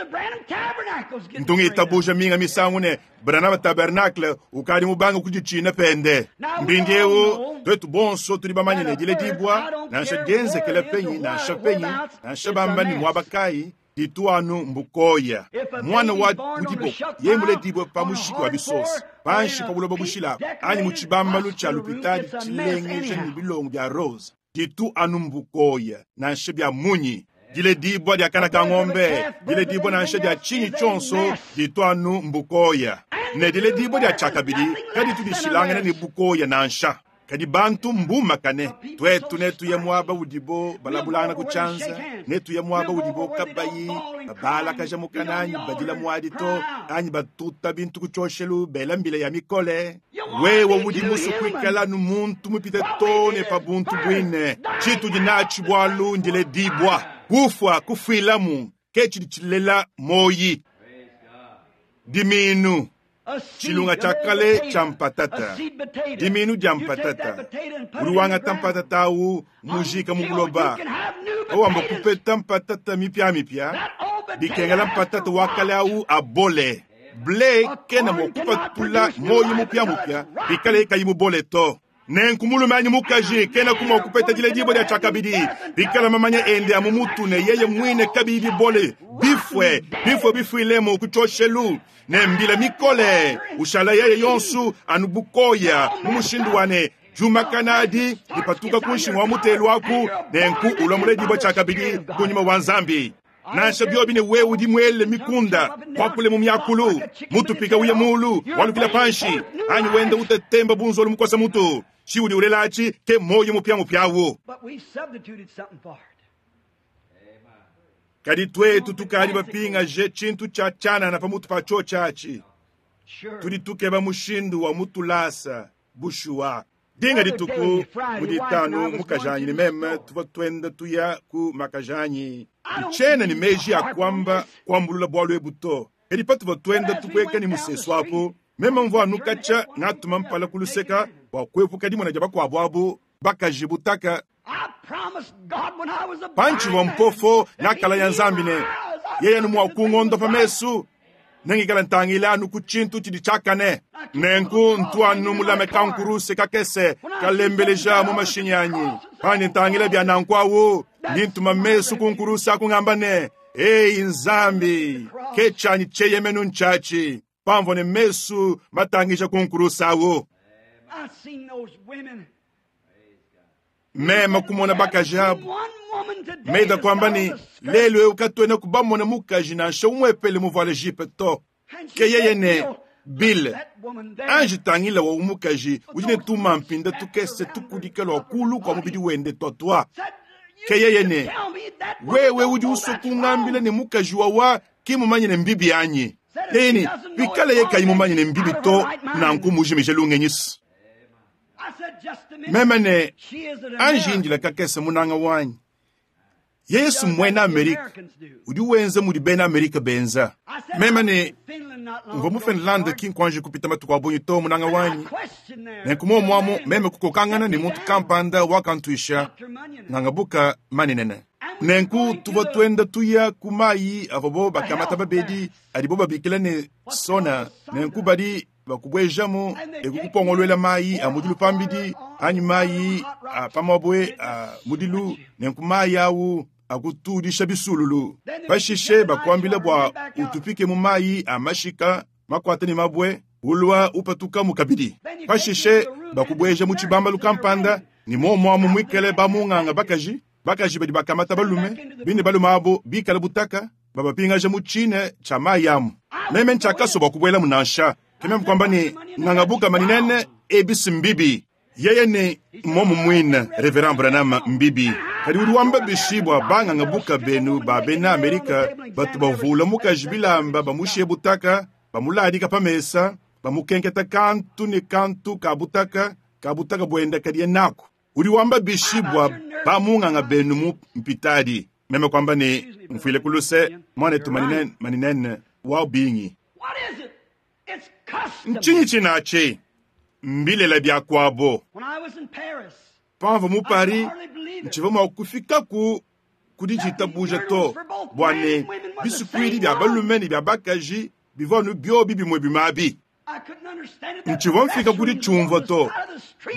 Speaker 1: ntunga itabuja minga misangu ne Branham Tabernacle ukadi mubanga kuditshina pende mpindiewu twetu bonso tudi bamanye ne diledibwa nansha dienzekela penyi nansha penyi nansha bamba ni mwaba kayi Ditu anu mbukoya. Mwana wa mu diboko yeye muledibwe pa mushiki wa bisosa, panshi pa buloba bushila, anyi mu tshibambalu tshia lupitadi tshilengeja ne bilongo bia rose. Ditu anu mbukoya, nansha bia munyi. Diledibwa dia kana ka ng'ombe, diledibwa nansha dia tshinyi tshionso, ditu anu mbukoya. Ne diledibwa dia tshiakabidi kaditu dishilangana ne bukoya nansha. Kadi bantu mbumakane, twetu netuye muaba udibo balabulangana ku tshianza, netuye muaba udibo kabayi babalakaja mukana anyi badila muadi to, anyi batuta bintu ku tshioshelu bela mbila ya mikole. Wewe udi musue kuikala nu muntu mupite to ne pa buntu buine. Tshitudi natshi bualu ndiledibwa, kufua kufuilamu ke tshidi tshilela moyi. Diminu. Tshilunga tshia kale tshia mpatata, diminu dia mpatata, udi wangata mpatata awu mujika mu buloba, awamba kupeta mpatata mipiamipia, bikengela mpatata wa kale awu abole. Ble kena mua kupatula moyi mupiamupia bikale kayi mubole to. Nenku mulume anyi mukaji kena kumua kupeta diledibwa dia tshiakabidi bikala mamanya ende a mu mutu ne yeye mwine kabiyi bibole, bifue bifue bifuilemu ku tshioshelu ne mbila mikole, ushala yeye yonsu anu bukoya mu mushindu wa ne jumakana adi dipatuka ku nshingu wa mutelu aku, nenku ulwa muledibwa tshiakabidi ku nyuma wa Nzambi. Nansha biobi ne wewe udi mwele mikunda kwakule mu myakulu, mutupika uye mulu walukila panshi, anyi wenda utatemba bunzolo mukosa mutu, chiudi ulelachi ke moyo mupya mupyawo. Kadi twetu tukali bapingaje tshintu tshia tshianana pamutu pa tshio tshiatshi. Tudi tukeba mushindu wa mutulasa bushuwa. Dinga dituku mu ditanu mukajanyi ne meme tuvua tuenda tuya ku makajanyi. Ntshiena ne meji a kuamba kuambulula bualu ebu to. Kadi patuvua tuenda tupueka ne musesu apu, meme mvua anu katshia ngatuma mpala ku luseka bua kuepuka dimona dia bakuabu abu bakaji butaka. Pantshivua mpofo ngakala ya Nzambi ne yeye anu mua kungondopa mesu, nengikala ntangila anu ku tshintu tshidi tshiakane. Nenku ntu anu mulame kankuruse kakese kalembeleja mu mashinyi anyi. Pandi ntangila bia nanku awu, ndi ntuma mesu ku nkuruse aku ngamba ne, Ei Nzambi, ke tshianyi tsheyemenu ntshiatshi. Pamvua ne mesu matangija ku nkuruse awu. Meme kumona bakaji abu. Meda kwamba ni lelu eu katuena kubamona mukaji nansha umwepele muvuale jipe to. Ke yeye ne Bill, anji tangila wa umukaji udi ne tuma mpinda tukese tukudika lwa kulu kwa mubidi wende twatwa. Ke yeye ne wewe udi usua kungambila ne mukaji wawa ki mumanye ne mbibi anyi. Yeye ne bikale ye kayi mumanye ne mbibi to, nanku mujimije lungenyisi. Meme ne anji indila kakese munanga wanyi. Yesu mwena Amerika udi wenza mudi bena Amerika benza. Meme ne mvua mu Finlande ki nkuanji kupita matuku a bungi to munanga wanyi. Nenku muomuamu meme kukokangana ne muntu kampanda wakantuisha ngangabuka manenene. Nenku tuvua tuenda tuya ku mayi avua bakamata babedi adibo babikila ne sona. Nenku badi bakubwejamu ekukupongolwela mayi a mudilu pambidi anyi mayi a pamabwe a mudilu, nenku mayi awu akutudisha bisululu. Pashishe bakuambila bua utupike mu mayi a mashika makwata ne mabwe ulwa upatuka mu kabidi. Pashishe bakubweja mu tshibambalu kampanda ne muomuamu mwikale bamunganga bakaji, bakaji badi bakamata balume, bine balume abo bikale butaka, babapingaja mu tshine tshia mayi amu. Meme ntshiakaso bua kubuelamu nansha. Kememe kwamba ni ngangabuka maninene ebisi mbibi. Yeye ne momu mwine Reverend Branham mbibi. Kadi udi wamba bishi bua bangangabuka benu ba bena Amerika batu bavula mukaji bilamba bamushiye butaka, bamuladika pa mesa, bamukenketa kantu ne kantu ka butaka, ka butaka buenda kadiye naku. Udi wamba bishi bua bamunganga benu mu mpitadi. Meme kwamba ni mfuile kuluse mwanetu maninene, maninene wa bingi. Ntshinyi tshinachi mbilela bia kwabo. Pamvua mu Paris, ntshivua mua kufikaku kudi tshitabuja to bua ne bisukuidi bia balume ne bia bakaji bivua anu biobi bimue bimabi. Ntshivua mfika kudi tshiumvua to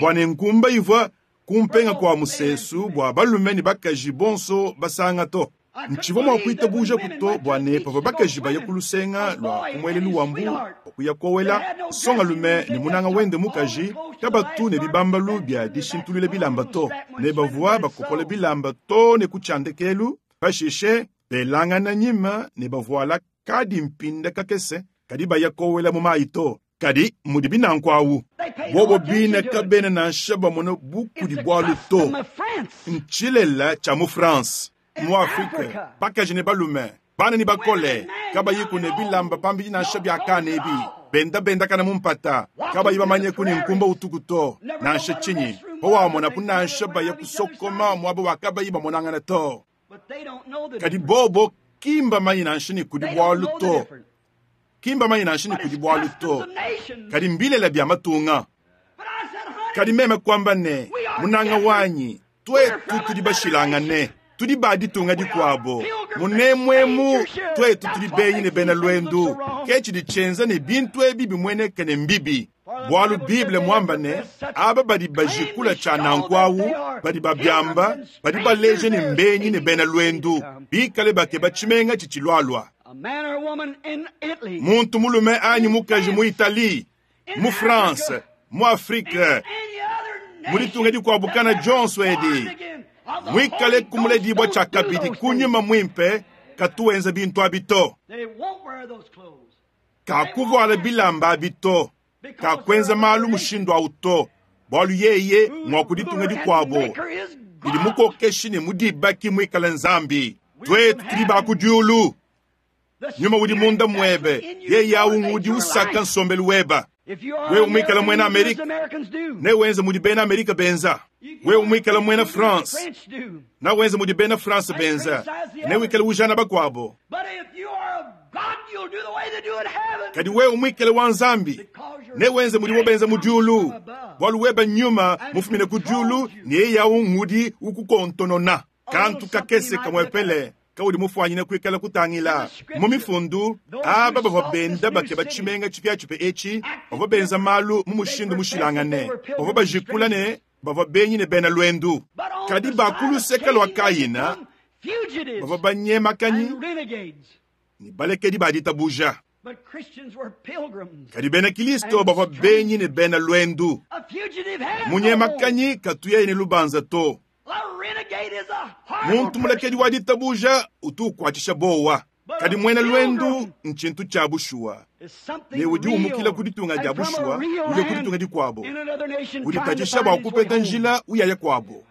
Speaker 1: bua ne nkumba ivua kumpenga kwa musesu bua balume ne bakaji bonso basanga to. Ntshivua mua kuitabuja kuto bua ne pavua bakaji baya ku lusenga lua ku muelelu wa mbu bua kuya kowela, nsongalume ne munanga wende mukaji kabatu ne bibambalu bia dishintulula bilamba to, ne bavua bakopola bilamba to ne ku tshiandekelu, pashishe belangana nyima ne bavuala kadi mpinda kakese kadi baya kowela mu mayi to. Kadi mudi binanku awu bobo bine kabena nansha bamona bukudi bualu to. Ntshilela tshia mu France, mu Afrika, bakaji ne balume, bana ne bakole, kabayi ne bilamba pambidi nansha biakane ebi, benda bendakana mu mpata, kabayi bamanye ku ne nkumba utuku to, nansha tshinyi, pawamonapu nansha baya kusokoma muaba wa kabayi bamonangana to. Kadi bobo kimba manyi nansha ne kudi bualu to. Kimba manyi nansha ne kudi bualu to. Kadi mbilela bya matunga. Kadi meme kwamba ne, munanga wanyi, twetu tudi bashilangane, tudi ba ditunga dikuabo. Munemwemu twetu tudi benyi ne bena lwendu. Ke tshidi tshienza ne bintu ebi bimweneke ne mbibi. Bualu Bible mwamba ne, aba badi bajikula tshia nanku awu, badi babiamba, badi baleja ne mbenyi ne bena lwendu, bikale bakeba tshimenga tshitshilualua. Muntu mulume anyi mukaji mu Italie, mu France, mu Afrique, mu ditunga dikuabu kana dionso edi, mwikale kumuledibua tshia kabidi kunyuma mwimpe, katuwenza bintu abi to. Kakuvuala bilamba abi to. Kakwenza malu mushindu awu to. Bualu yeye mwa kuditunga dikuabo. Idi mukokeshi ne mudibaki mwikale Nzambi. Twetu tudi ba ku diulu. Nyuma udi munda mwebe, yeye awu udi usaka nsombelu weba. Wewe mwikala mwena Amerika, ne wenze mudi bena Amerika benza. Wewe mwikala mwena France, na wenze mudi bena France benza. Ne wikala ujana bakwabo. Kadi wewe mwikala wa Nzambi, ne wenze mudi wobenza mu diulu. Bualu weba nyuma mufumine ku diulu, ne yeye awu ngudi ukukontonona. Kantu kakese kamwepele kaudi mufwanyine kuikala kutangila mu mifundu aba bavua benda bakeba tshimenga tshipiatshipia etshi, bavua benza malu mu mushindu mushilangane, bavua bajikula ne bavua benyi ne bena lwendu. Kadi ba ku luseke lua Kayina bavua banyemakanyi ne balekedi ba ditabuja. Kadi bena Kristo bavua benyi ne bena lwendu. Munyemakanyi katuye ne lubanza to. Muntu mulekedi wa ditabuja utu ukwatisha bowa. Kadi mwena lwendu nchintu cha bushuwa. Ne udi umukila ku ditunga dia bushuwa, uya ku ditunga dikuabo. Udi tatisha bua kupeta njila uyaya kuabo.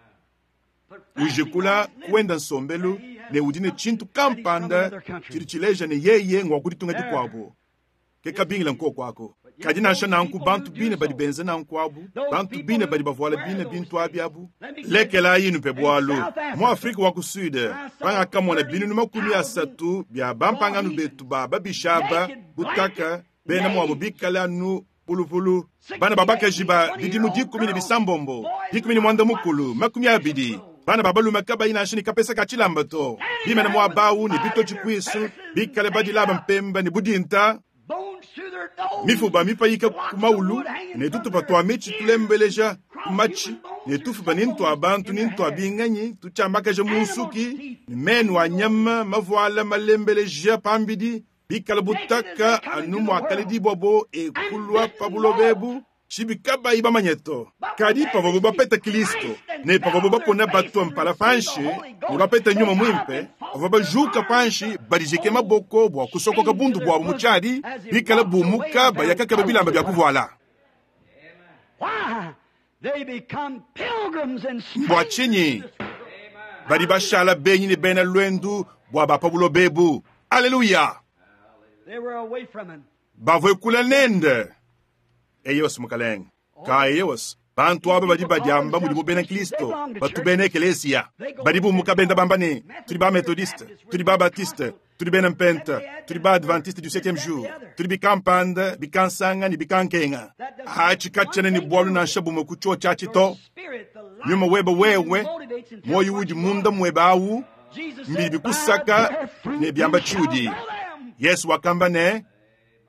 Speaker 1: Ujikula kuenda nsombelu ne udi ne tshintu kampanda tshidi tshileja ne yeye ngwa ku ditunga dikuabo. Ke kabingila nkoko ako. Kadi nansha nanku bantu bine badi benza nanku abu, bantu bine badi bavuala bine bintu abi abu. Lekela yinu pe bualu. Mu Afrika wa ku Sud, pangakamona binunu makumi asatu bya bampangano betu ba babishaba butaka bena mwabo bikala anu pulupulu. Bana babakaji ba bidimu dikumi ne bisambombo, dikumi ne mwanda mukulu, makumi abidi. Bana babalume kabayi nansha ne kapesa ka tshilamba to. Bimene mwabawu ne bito tshikwisu, bikale badilaba mpemba ne budinta. Mifuba mipayika ku maulu ne tutupa twa mitshi tulembeleja ku matshi ne tufuba ni ntwa bantu ni ntwa binganyi tutshiambakaja mu nsuki ne menu a nyama mavuala malembeleja pambidi bikala butaka anu muakaledi bwabo ekulwa pa bulobebu tshibi kabayi bamanye to. Kadi pavua bapeta Kristo ne pavua bapona bato mpala panshi ne bapeta nyuma mwimpe, bavua bajuka panshi badijike maboko bua kusokoka bundu bwabo mu tshiadi bikala bumuka bayakakeba bilamba bya kuvuala. Bua tshinyi badi bashala benyi ne bena lwendu bua ba pa bulobebu? Aleluya! Bavue kula nende. Eyos mukalenge ka eyos bantu aba badi badiamba mudi mu bena Kristo batu bena ekelesia badi bumuka benda bamba ne tudi ba methodiste, tudi ba baptiste, tudi bena mpenta, tudi ba adventiste du septième jour, tudi bikampanda bikansanga ne bikankenga. Atshikatshana ne bualu nansha bumwe ku tshio tshia tshito. Nyuma webe wewe moyo udi munda mwebe awu mbidi bikusaka ne biamba tshiudi. Yesu wakamba ne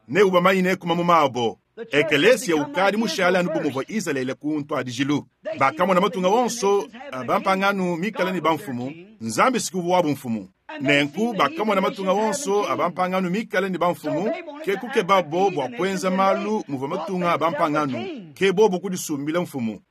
Speaker 1: ne ubamanyine kuma mu mabo. Ekelesia ukadi mushala anu bumuvua Israele ku ntwadijilu. Bakamona matunga wonso bampangano mikala ne bamfumu, Nzambi siku wabu mfumu. Nenku bakamona matunga wonso abampangano mikale ne bamfumu, ke kukebabo bua kuenza malu muvua matunga abampangano, ke bobo kudisumbila mfumu.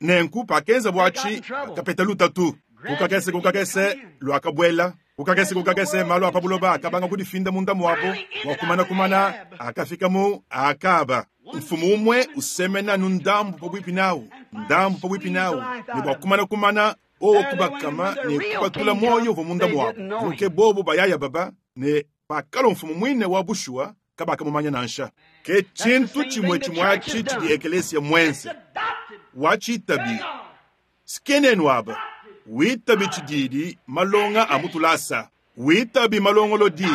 Speaker 1: Nenku pakenza bwachi kapeta lutatu. Kukakese kukakese lwakabwela. Kukakese kukakese malu apabuloba akabanga kudifinda munda mwabo wakumana kumana akafika mu akaba. Mfumu umwe usemena nundambu pabwipi nawo, ndambu pabwipi nawo, ne bwa kumana kumana owo kubakama ne kupatula moyo vo munda mwabo. Nuke bobo bayaya baba ne pakalo mfumu mwine wa bushua kabaka mumanya nansha. Ke chintu chimwe chimwachi chidi ekelesia mwense. Wachitabi. Sikenenu aba. Witabi chididi malonga amutulasa. Witabi malongolodi.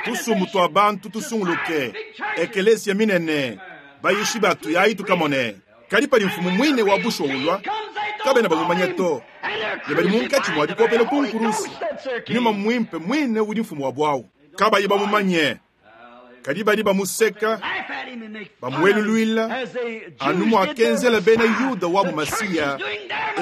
Speaker 1: Tusumu abantu tusunguluke. Ekelesia minene. Bayishi batu yayi tukamone. Kali pali mfumu mwine wa busho ulwa. Kabena bamumanya to. Ne bali munkachi mwa dikopela kunkurusi. Nyuma mwimpe mwine udi mfumu wa bwawu. Kabayi bamumanye. Kadi badi bamuseka, bamueluluila, anu mwakenzela bena Yuda wabu Masiya,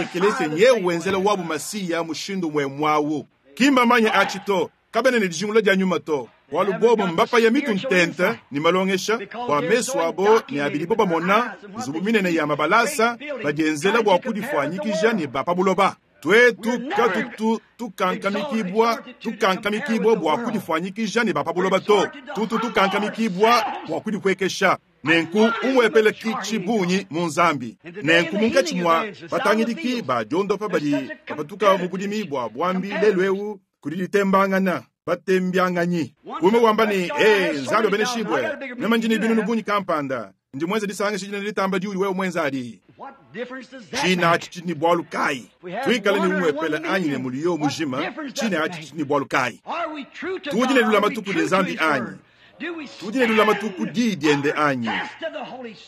Speaker 1: ekelese nyewe wenzela wabu Masiya mushindu mwe mwawu. Kimba manya achito, kabene ne dijingula dia nyuma to. Walu bobo mbapa ya mitu ntente ni malongesha, wa mesu abo ni abili boba mona, nzubu minene ya mabalasa, badienzela bwa kudifwanyikija ni bapa buloba. Twetu katutu tukankamikibwa tukankamikibwa bwa kudifwanyikija ne bapabuloba to tutu tukankamikibwa bwa kudikwekesha nenku umwepele kichibunyi mu nzambi nenku munkatshi mwa batangidiki ba diondopa badi bapatuka mu budimi bwa bwambi lelu kudi ditembangana batembianganyi kume wamba ni eh nzambi obeneshibwe nemanjini binunu bunyi kampanda ndi mwenze disanga shijina litamba diuli wewe mwenza adi china achi ni bwalu kai twikale ni umwepele anyi ne muliyo mujima china achi ni bwalu kai tudi ne lulama tuku de nzambi anyi tudi ne lulama tuku di diende anyi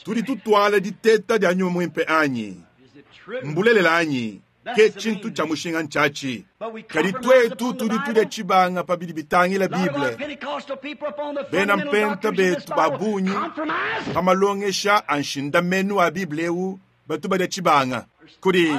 Speaker 1: tudi tutwala diteta dia nyuma mwimpe anyi mbulelela anyi ke chintu cha mushinga nchachi kadi twetu tudi tudya chibanga pabidi bitangila Bible bena mpenta betu babunyi pamalongesha anshindamenu a Bible eu batu badya chibanga kuri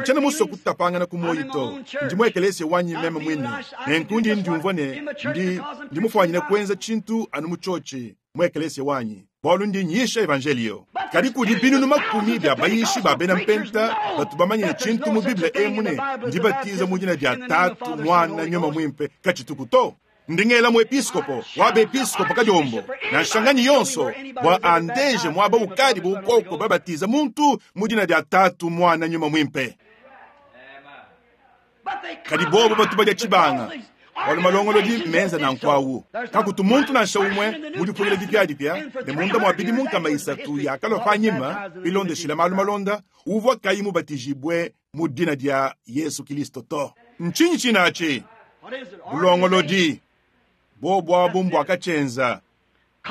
Speaker 1: nchana muso kutapangana kumoyi to ndi mwekelese wanyi meme mwini nenkundi ndiumvwa ne ndi ndi mufwanyine kwenza chintu anu muchochi mwekelese wanyi bwalu ndi nyisha evangelio kadi kudi binunu makumi bya bayishi ba bena mpenta batu bamanyine chintu mu Bible emune ndi batiza mu jina dia tatu mwana nyuma mwimpe kachituku to ndingela mu episkopo wabe episkopo kajombo na nshanganyi yonso bwa andeje mwaba ukadi bukoko babatiza muntu mu jina dia tatu mwana nyuma mwimpe kadi bobo batu badya chibanga wali malongolodi menza na nkwawu kakutu muntu nansha umwe mudipungila dipyadipya ne munda mwabidi munkama isatu yakalwa panyima bilondeshila malu malonda uvwa kayi mubatijibwe mu dina dia Yesu Kristo to nchinyi chinachi bulongolodi bobwabu mbwakachenza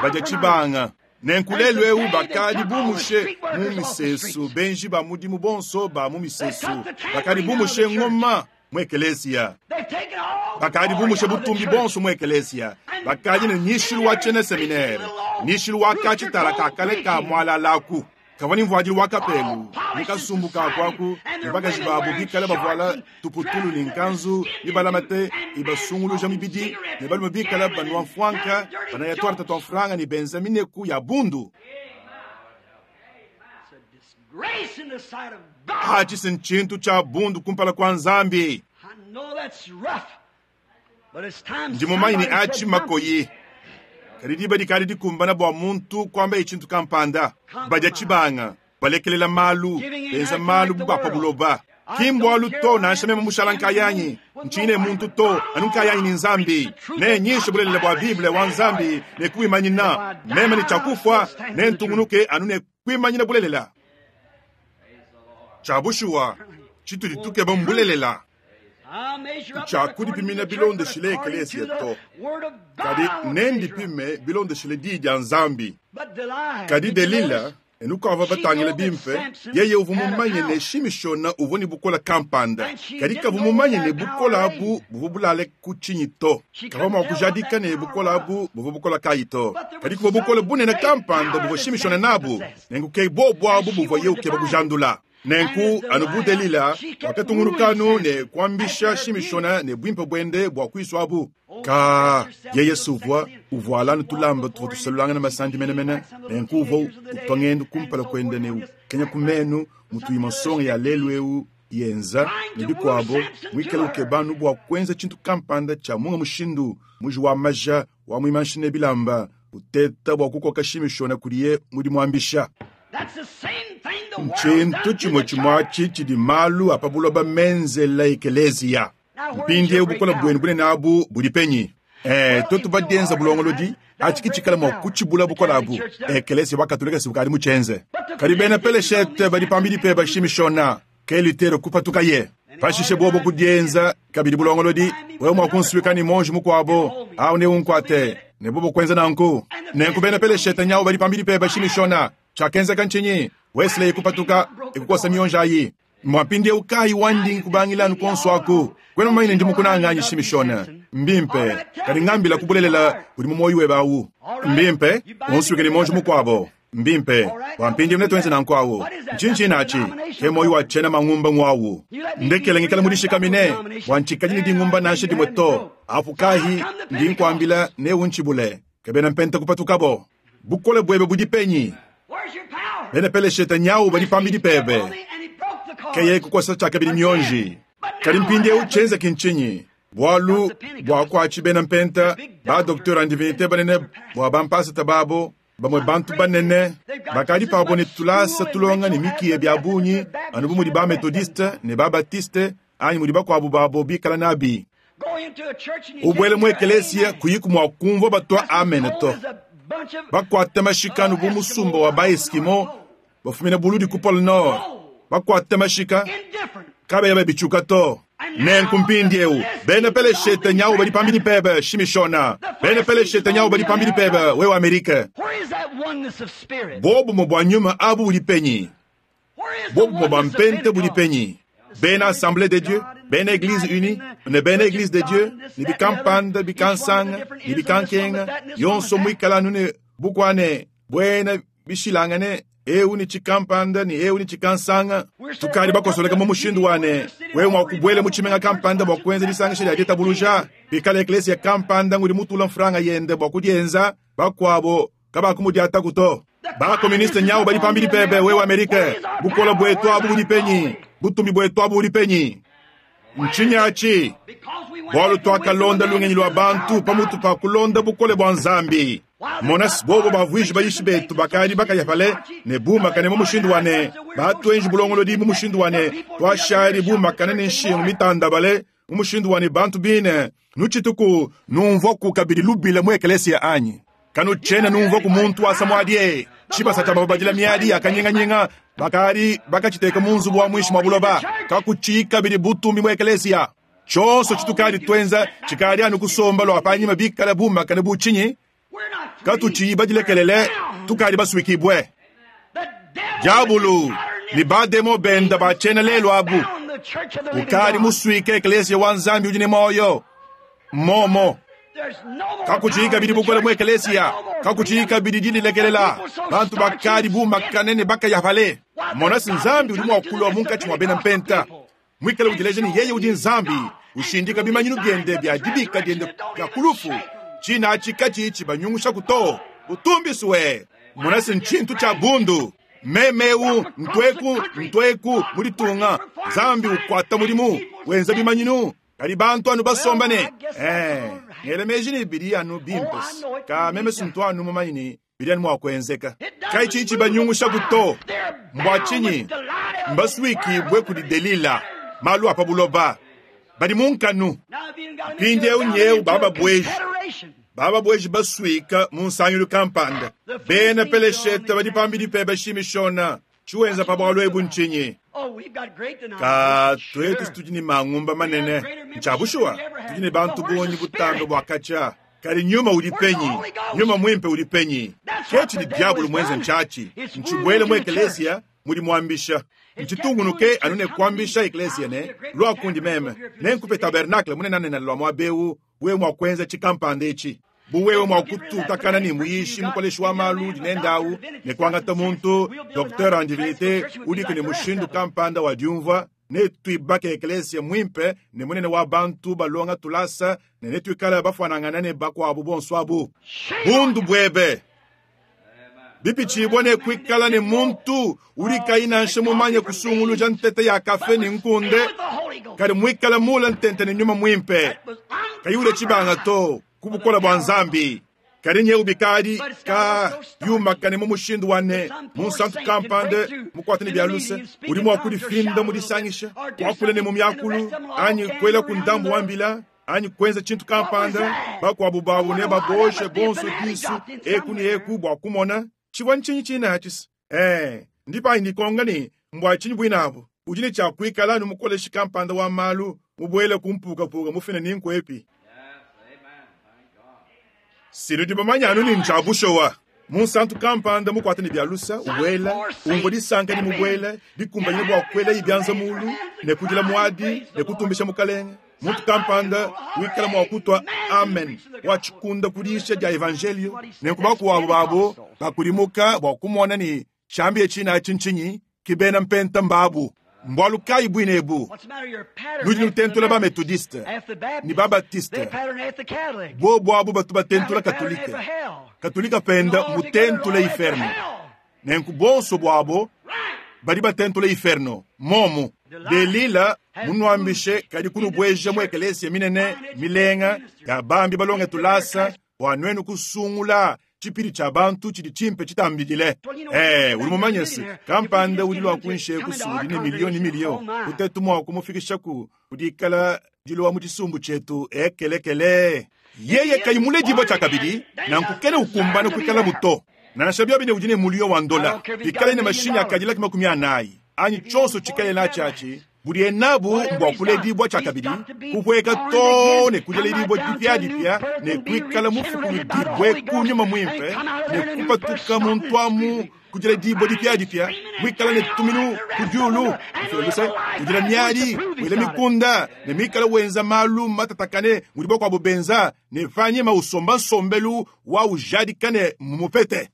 Speaker 1: badya chibanga nenkulelu eu bakadi bumushe mu misesu benji ba mudimu bonso ba mu misesu bakadi bumushe ngoma mu ekelesia bakadi bumushe butumbi bonso mu ekelesia bakadi ne nyishilu wa chene seminaire nyishilu wa kachitala kakale ka mwalalaku kavani mvuadilu wa kapelu mukasumbu kakwaku ne bakaji babu bikale bavuala tuputulu ne nkanzu ibalamate ibasunguluja mibidi ne balume bikale banua mfwanka banaya twarta twa mfranga ne benza mineku ya bundu achi nchintu cha bundu kumpala kwa nzambi ndi mumanyi ne achi makoyi kadi diba dikadi dikumbana bua muntu kwamba echintu kampanda badya chibanga balekelela malu benza malu bubapa buloba kimbwalu to nansha meme mushala nkayanyi nchine muntu to anu nkayanyi ni nzambi ne nyishe bulelela bua Bible wa nzambi ne kuimanyina meme ni chakufwa ne ntungunuke anu ne kuimanyina bulelela chabushuwa chitudi tukeba mbulelela chakudipimina bilondeshile ekelesia to kadi nendipime bilondeshile di dia nzambi kadi Delila enukava batangila bimpe yeye uvu mumanye ne Shimishona uvu ni bukola kampanda kadi kavu mumanye ne bukola abu buvu bulale kuchinyi to kava mwa kujadika ne bukola abu buvu bukola kayi to kadi kuva bukola bunene kampanda buvu Shimishona nabu nengu ke bobu abu buvu ye ukeba kujandula Nenku anu bu Delila wakatungunukanu ne kuambisha Shimishona ne bwimpe bwende bwa kwiswabu. Ka yeye suvwa uvwala nutulamba tuvwa tuselulangana masandi menemene. Nenku uvwa utwa kumpala kwende ne ukenya kumenu mutuyi masonga ya lelu eu yenza ne bikwabo mwikale ukebanu bwa kwenza tshintu kampanda tshia munga mushindu muji wa maja wa mwimanshine bilamba uteta bwa kukoka Shimishona kudiye mudi mwambisha. Nchintu chimwe chimwachi chidi malu apa buloba menzela ekelezia. Mpindie bukola bwenu bunene abu budi penyi. Eh, tutu badienza bulongolodi achikichikala mwa kuchibula bukola abu. Ekelezia wakatolika sibukali muchenze. Kadi bena peleshete badi pambidi pe bashimishona. Kelitero kupatuka ye. Pashishe bobo kudienza kabidi bulongolodi wewe mwa kunsuika ni monji mukwabo au ne unkwate ne bobo kwenza nanku. Nenku bena peleshete nyawo badi pambidi pe bashimishona. Chakenza kanchinyi Wesley kupatuka ikukosa mionja yi. Mwapinde ukai wandi kubangila nukonso kwena maine ndi mukunanga Shimishona. Mbimpe kali ngambila kubulelela uli mumoyi webawu. Mbimpe onsuike ni monji mukwabo. Mbimpe wampindi mne twenze nankwawo. Nchinchi nachi ke moyi wa chena mangumba ngwawu. Ndekele ngikala mudishika mine wanchikanyini dingumba nashe dimweto. Afukahi ndi nkwambila ne unchibule. Kebena mpenta kupatukabo. Bukole bwebe budipenyi. Bena peleshete nyawu bali pambidi pebe. Keye kukosa chakabili mionji. Kali mpindi uchenze kinchinyi. Bwalu bwa kwachi bena mpenta ba docteur en divinité banene bwa bampasa tababo bamwe bantu banene bakali pabo ne tulasa tulonga ne mikiye bya bunyi anu bu mudi ba methodiste ne ba baptiste anyi mudi bakwabu babo bikala nabi. Ubwele mu ekelesia kuyiku mwa kumva batwa amen to. Bakwate mashika bu musumba wa ba Eskimo bafumina buludi ku Pole Nord. Bakwate mashika kabe yabe bichuka to. Nenku mpindi eu bena peleshete nyawo bali pambidi pebe Shimishona. Bena peleshete nyawo bali pambidi pebe wewe Amerika. Bobu mo nyuma abu buli penyi. Bobu mo mpente buli penyi. Bena Assemblée de Dieu, bena Église unie, ne bena Église de Dieu, ni bikampanda bikansanga, ni bikankenga, yonso mwikala nune bukwane bwena bishilangane eu ni chikampanda ni eu ni chikansanga. Tukali bakosoleka mu mushindu wane wewe mwakubwele muchimenga kampanda bwa kwenza lisangisha lya ditabuluja bikala eklesia kampanda nguli mutula mfranga yende bwa kudienza bakwabo kabakumudiata kuto. Ba komuniste nyawo bali pambili pebe wewe Amerika. Bukola bwetu abu buli penyi. Butumbi bwetu abu buli penyi. Nchinyachi bwalu twakalonda lungenyi lwa bantu pamutu pa kulonda bukole bwa Nzambi. Monas bobo bavwiji bayishi betu bakali bakayapale ne bumakane mu mushindu wane batwenji bulongolodi mu mushindu wane twashali bumakane ne nshingu mitandabale mu mushindu wane bantu bine nuchituku numvoku kabili lubile mu ekelesia anyi kanu chena numvoku muntu asamwadie chibasa tababadila miadi akanyenganyinga bakali bakachiteka munzu wa mwishi mwa buloba kakuchika bili butumbi mu ekelesia chonso chitukali twenza chikali anu kusomba lwa panyima bikala bumakane buchinyi katuchi badilekelele tukali baswikibwe. Diabulu ni bademo benda bachena lelo abu ukali muswike eklesia wa Nzambi ujine moyo momo kakuchika bili bukola mu eklesia kakuchika bili dilekelela bantu bakali bumakanene bakayapale monasi Nzambi uli mwakulwa munkachi mwa bena mpenta mwikale udileje ni yeye udi Nzambi ushindika bimanyinu byende bya dibika dyende bya kulufu china chikachi ichi banyungusha kuto utumbiswe monasi nchintu cha bundu memeu ntweku ntweku mulitunga Nzambi ukwata mulimu wenza bimanyinu kali bantu anu basombane eh ngelemeji ni bili anu bimpes ka meme suntu anu mumanyini bili anu mwakwenzeka kaichi ichi banyungusha kuto mbwachinyi mbaswiki bwe kuli Delila malu apa buloba bali munkanu pinde unyeu baba bweji baba bweji baswika munsanyulu kampanda bena peleshete bali pambidi pe bashimishona chiwenza pabwalo ebu nchinyi ka twetu situdini mangumba manene nchabushuwa tudini bantu bonyi butando bwakacha kali nyuma uli penyi nyuma mwimpe uli penyi kechi ni diabulu mwenze nchachi nchibwele mu eklesia muli mwambisha nchitungunuke anune kwambisha eklesia ne lwakundi meme nenkupe tabernacle munenanena lwa mwabeu we mwakwenza chikampanda ichi Bu wewe mwa kututakana ne muyishi mukoleshi wa malu udi nende awu ne kuangata muntu docteur en divinité udiku ne mushindu kampanda wa diumvua ne tuibake eklesia mwimpe ne munene wa bantu balonga tulasa ne netuikala bafuanangana ne bakuabu bonso abu. Bundu bwebe bipichibwa ne kuikala ne muntu udi kayi nansha mumanye kusunguluja ntete ya kafe ne nkunde kadi muikala mula ntente ne nyuma mwimpe kayi ule tshibanga to kubukola bwa nzambi kadi nyeu bikadi ka yumakane mu mushindu wane munsantu kampande mukwate ne bya luse udi mwa kudifinda mu disangisha kuakula ne mu myakulu anyi kwela ku ndambu wa mbila anyi kwenza tshintu kampanda bakuabu babu ne baboshe bonso disu eku ne eku bua kumona tshivua ntshinyi tshinatshisa eh ndipa ndikonga ne mbwa tshinyi bwinabu udi ne tshia kuikala ne mukoleshi kampanda wa malu mubwele kumpukapuka mufina ni nkwepi Silo bamanya anu ni njabushowa munsantu kampanda mukwate ne byalusa ubwela umvo disanka ni mubwela dikumbanyine bua kwela ibyanza mulu ne kudila mwadi ne kutumbisha mukalenge muntu kampanda wikala mwa kutwa amen wachikunda kudisha dia evangelio ne kubakuwabo babo bakudimuka bua kumona ni shambi china chinchinyi kibena mpenta mbabu mbwalu kayi bwine ebu nudi nutentula ba methodiste ni ba baptiste bobo abu batu batentula katolika katolika penda mutentula inferno nenku bonso bwabo badi batentula inferno momu delila munwambishe kadi kunubweja mu ekelesia minene milenga ya bambi balonge tulasa bua nwenu kusungula tshipidi tshia bantu tshidi tshimpe tshitambidile eh uli mumanyese kampanda udi lwa kunshe kusudi ne milioni milio kutetu mwa kumufikishaku kudikala dilowa mu tshisumbu tshietu ekelekele yeye kayimule dibwa tshia kabidi nankukene ukumbana kuikala muto nansha bia bine udi ne mulio wa ndola bikale ne mashini akadilaki makumi anayi anyi tshonso tshikale na tshiatshi budi enabu mbua kuledibwa tshia kabidi kupweka to ne kudiledibwa dipyadipya ne kuikala mufukuludibwe kunyuma mwimpe ne kupatuka muntu amu kudiledibwa dipyadipya mwikala ne tuminu kudiulu mfiloluse kudila miadi wela mikunda ne mikala wenza malu matatakane mudi bakuabu benza ne vanyima usomba nsombelu wa ujadikane mumupete.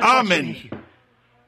Speaker 1: Amen.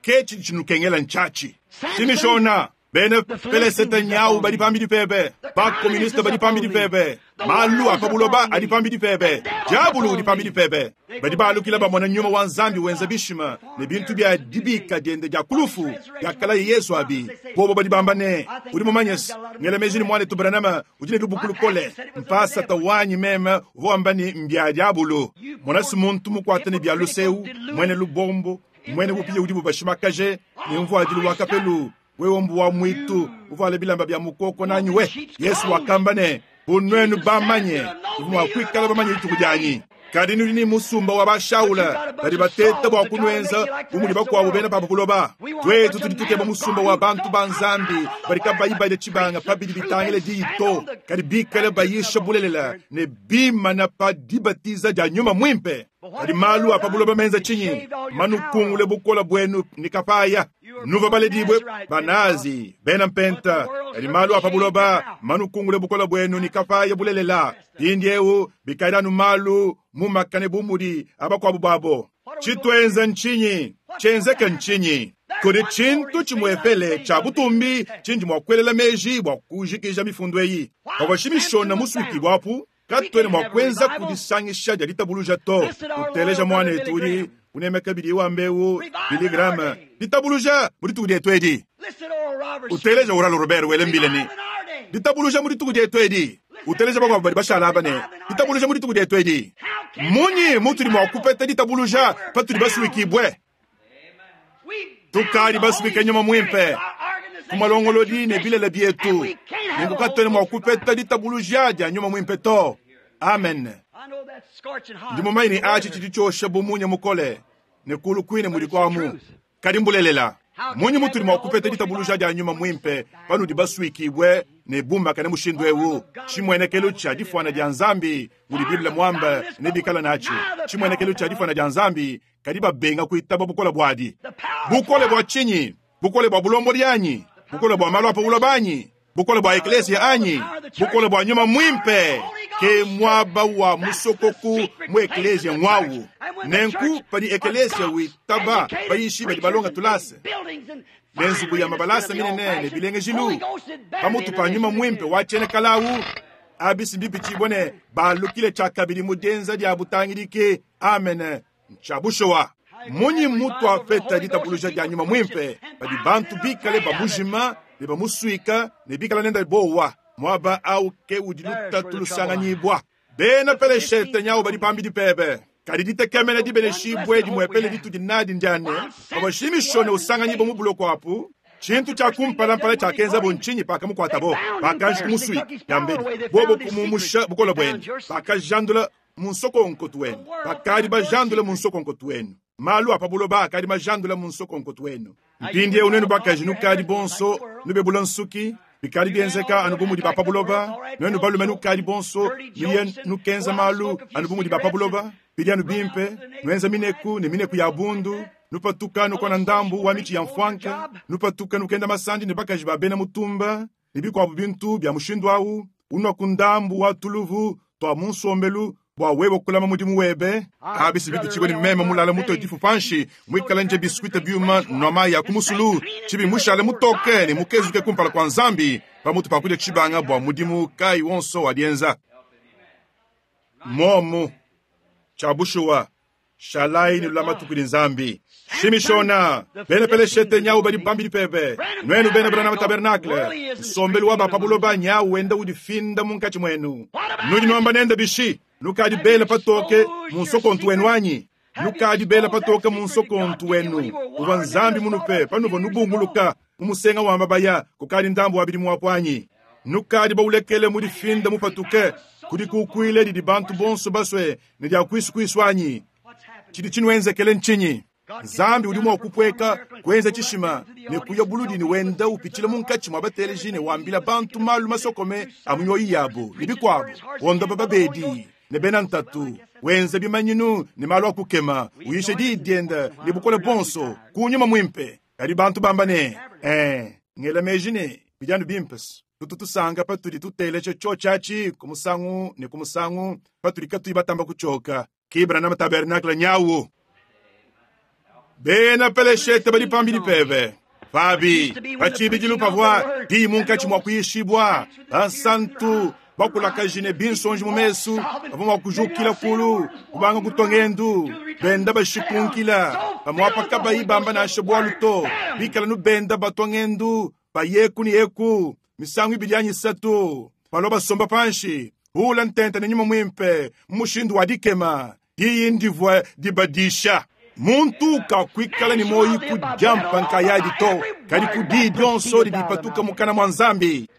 Speaker 1: Kechi chinukengela nchachi simishona bene pelesete nyau badi pambidi pebe bakomuniste badi pambidi pebe malu apabuloba adi pambidi pebe diabulu udi pambidi pebe badi balukila bamona nyuma wa nzambi wenza bishima ne bintu bya dibika diende dia kulufu diakala yesu abi bobo badi bamba ne udi mumanyese ngela meji ni mwana tubranama udi ne lubukulu kole mpasa tawanyi meme uvua ni mbya diabulu monasi muntu mukwate ne bya luseu mwene lubombo mwene bupiye udi bubashimakaje ne mvuadilu wa kapelu wewe mbu wa mwitu uvuale bilamba bya mukoko nanyi we yesu wakamba ne bunwenu bamanye uvumwa kwikala bamanye dituku dyanyi kadi nudi ni musumba wa bashaula badi bateta bua kunwenza bumudi bakuabu bena papa kuloba twetu tudi tukeba musumba wa bantu ba nzambi badi kabayi bale tshibanga pabidi bitangile diyi to kadi bikale bayisha bulelela ne bimana pa dibatiza dia nyuma mwimpe kadi malu apa buloba menza tshinyi manukungule bukola bwenu ni kapaya nuva baledibwe banazi bena mpenta kadi malu apa buloba manukungule bukola bwenu ni kapaya bulelela indi eu bikaidanu malu mumakane bumudi abakuabu babo tshitwenza ntshinyi tshenzeke ntshinyi kudi tshintu tshimwepele tshia butumbi tshindi mua kuelela meji bua kujikija mifundu eyi pavua shimishona musukibwa apu katwene mua kuenza kudisangisha dia ditabuluja to uteleja mwana etu udi unemeka bidi wambeu biligrama ditabuluja mu dituku dietu edi uteleja uralo robert wele mbile ni ditabuluja mu dituku dietu edi uteleja bakuabu badi bashala aba ne ditabuluja mu dituku dietu edi munyi mutudi mua kupeta ditabuluja patudi basuikibwe tukadi basubike nyuma mwimpe kumalongolodi ne bilele bietu nenku katwene mua kupeta ditabuluja dia nyuma mwimpe to. Amen. Ndi mumanyi ni achi tshidi tshiosha bumunya mukole ne kulu kwine mudi kwamu kadi mbulelela munyi mutudi mua kupeta ditabuluja dia nyuma mwimpe panudi basuikibwe ne bumbakane mushindu ewu tshimwenekelo tshia difuana dia nzambi mudi biblia mwamba ne bikala natshi tshimwenekelo tshia difuana dia nzambi kadi babenga kuitaba bukola bwadi bukole bwa tshinyi bukole bwa bulombodi anyi bukole bwa malu apa buloba anyi bukole bwa eklesia anyi bukole bwa nyuma mwimpe Ke mwaba wa musokoku mu eklesia mwawu. Nenku padi eklesia witaba bayishi badi balonga tulase. Nenzubu ya mabalasa minene ne bilengejilu. Pamutu pa nyuma mwimpe wachene kalawu. Abisi bipichibwa ne balukile chakabili mudenza dia butangidike. Amen. Nchabushowa. Munyi mutu afeta ditabuluja dia nyuma mwimpe. Badi bantu bikale babujima ne bamuswika ne bikala nenda bowa. Mwaba au ke udi lutatu lusanganyibwa. Bena peleshete nyawo badi pambidi pebe. Kadi ditekemena dibeneshibwe dimwepele ditudi nadi ndiane. Abashimishone usanganyibwa mu buloko apu. Chintu cha kumpalampala cha kenza bonchinyi paka mukwatabo. Pakanji kumuswi yambedi. Bobo kumumusha bukola bwenu. Pakajandula munsokonko wenu. Pakadi bajandula munsokonko wenu. Malu apabuloba akadi majandula munsokonko wenu. Mpindie unenu bakaji nukadi bonso nubebula nsuki. Bikali bienzeka anubu mudi bapabuloba. Nwenu balume nukadi bonso nuye nukenza malu anubu mudi bapabuloba. Bidi bimpe nwenza mineku ne mineku ya bundu. Nupatuka nukona ndambu wa michi ya mfwanka. Nupatuka nukenda masandi ne bakaji babena mutumba. Nibikwabu bintu bya mushindu awu. Unwa kundambu wa tuluvu twa munsombelu bwa wewe kulama mudimu webe. Abisi bitu chibwe ni mema mulala muto difu panshi. Mwikala nje biskuite byuma noma ya kumusulu. Chibi mushale mutoke ni mukezuke kumpala kwa nzambi. Pamutu pakuja chibanga bwa mudimu kai wonso wadienza. Momu chabushuwa shalai ni lulama tukuli nzambi. Shimishona bene peleshete nyau badi pambidi pebe. Nwenu bene brana tabernacle. Sombelu waba pabuloba nyau wenda udifinda munkachi mwenu. Nudi nwamba nenda bishi. Nukadi bela patoke munsokontu wenu anyi. Nukadi bela patoke munsokontu wenu. Uva nzambi munupe panuvo nubunguluka. Mumusenga wa mabaya kukadi ndambu wabidi muwapwanyi. Nukadi baulekele mudifinda mupatuke. Kudi kukwile didi bantu bonso baswe ne dia kwisu kwiswanyi. Chidi chinwenzekele nchinyi. Nzambi udi mwa kupweka kuenza chishima ne kuya buludi ni wenda upichila munkachi mwa bateleji ne wambila bantu malu masokome amunyoyi yabo nibikwabo wonda bababedi ne bena ntatu wenza bimanyinu ne malu akukema uyishe didienda ne bukole bonso kunyuma mwimpe kadi bantu bamba ne eh ngela meji ne bijanu bimpes tututusanga patudi tuteleche chochachi kumusangu ne kumusangu patudi katuyi batamba kuchoka kibra na tabernacle nyawu. Bena peleshete badi pambidi pebe. Fabi, pachibidi pavwa, di munkachi mwa kuyishibwa, bansantu, bakulakajine binsonji mu mesu, bavua mwa kujukila kulu, kubanga kutongendu, benda bashikunkila, bamwapa kabayi bamba nashe bwalu to, bikala nu benda batongendu, bayeku ni yeku, misangu ibidi anyi satu, balo basomba panshi, hula ntente ne nyuma mwimpe, mushindu wa dikema, diyi ndivwa dibadisha. Muntu kakwikala ni moyi kujampa nkayadi to kadi kudi dyonso didipatuka mukana mwa nzambi.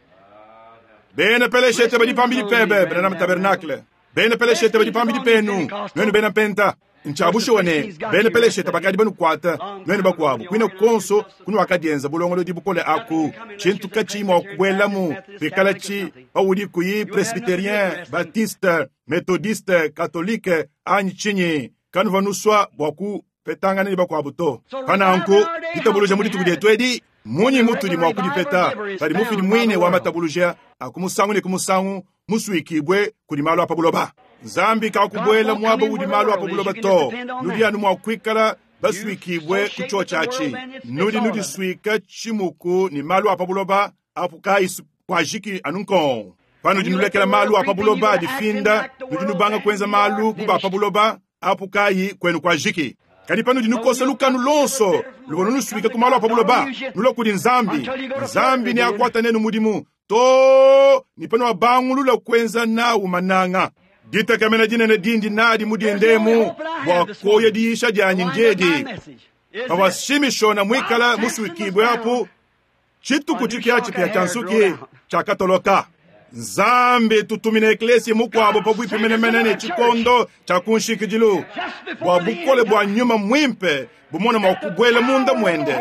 Speaker 1: Bena peleshete badi pambidi pebe bena na tabernacle. Bena peleshete badi pambidi penu nwenu bena penta. Nchabusho ne bena peleshete bakadi banu kwata nwenu bakwabu kwina konso kunu akadienza bulongolo dibukole aku chintu kachi mwa kuwelamu bikala chi paudi kuyi presbyterien baptiste methodiste catholique anyi chinyi kanu vanuswa bwaku petangana ni bakwabu to. Pananku ditabuluja mudi tukudietu edi munyi mutudi mwa kudipeta padi mufidi mwine wa matabuluja akumusangu ne kumusangu muswikibwe kudi malu apabuloba. Nzambi kakubwela mwabo udi malu apabuloba to. Nudi anu mwa kwikala baswikibwe kuchochachi. Nudi nudi swika chimuku ni malu apabuloba apuka kwajiki anunkon. Panu dinulekela malu apabuloba difinda nudi nubanga kwenza malu kuba apabuloba apukayi kwenu kwajiki. Kadi panu dinukosa lukanu lonso lubono nuswika ku malu apabuloba nulo kudi nzambi. Nzambi ni akwata nenu mudimu to ni pano abangulula kwenza nawu mananga. Ditekamena dinene dindi nadi mudiendemu bwa koya diisha dyanyi njedi. Pawashimishona mwikala muswikibwe apu chituku chikiachi pya chansuki chakatoloka. Nzambi tutumine eklesi mukwabo pabwipi menemene chikondo cha kunshikijilu bwa bukole bwa nyuma mwimpe bumona mwa kubwela munda mwende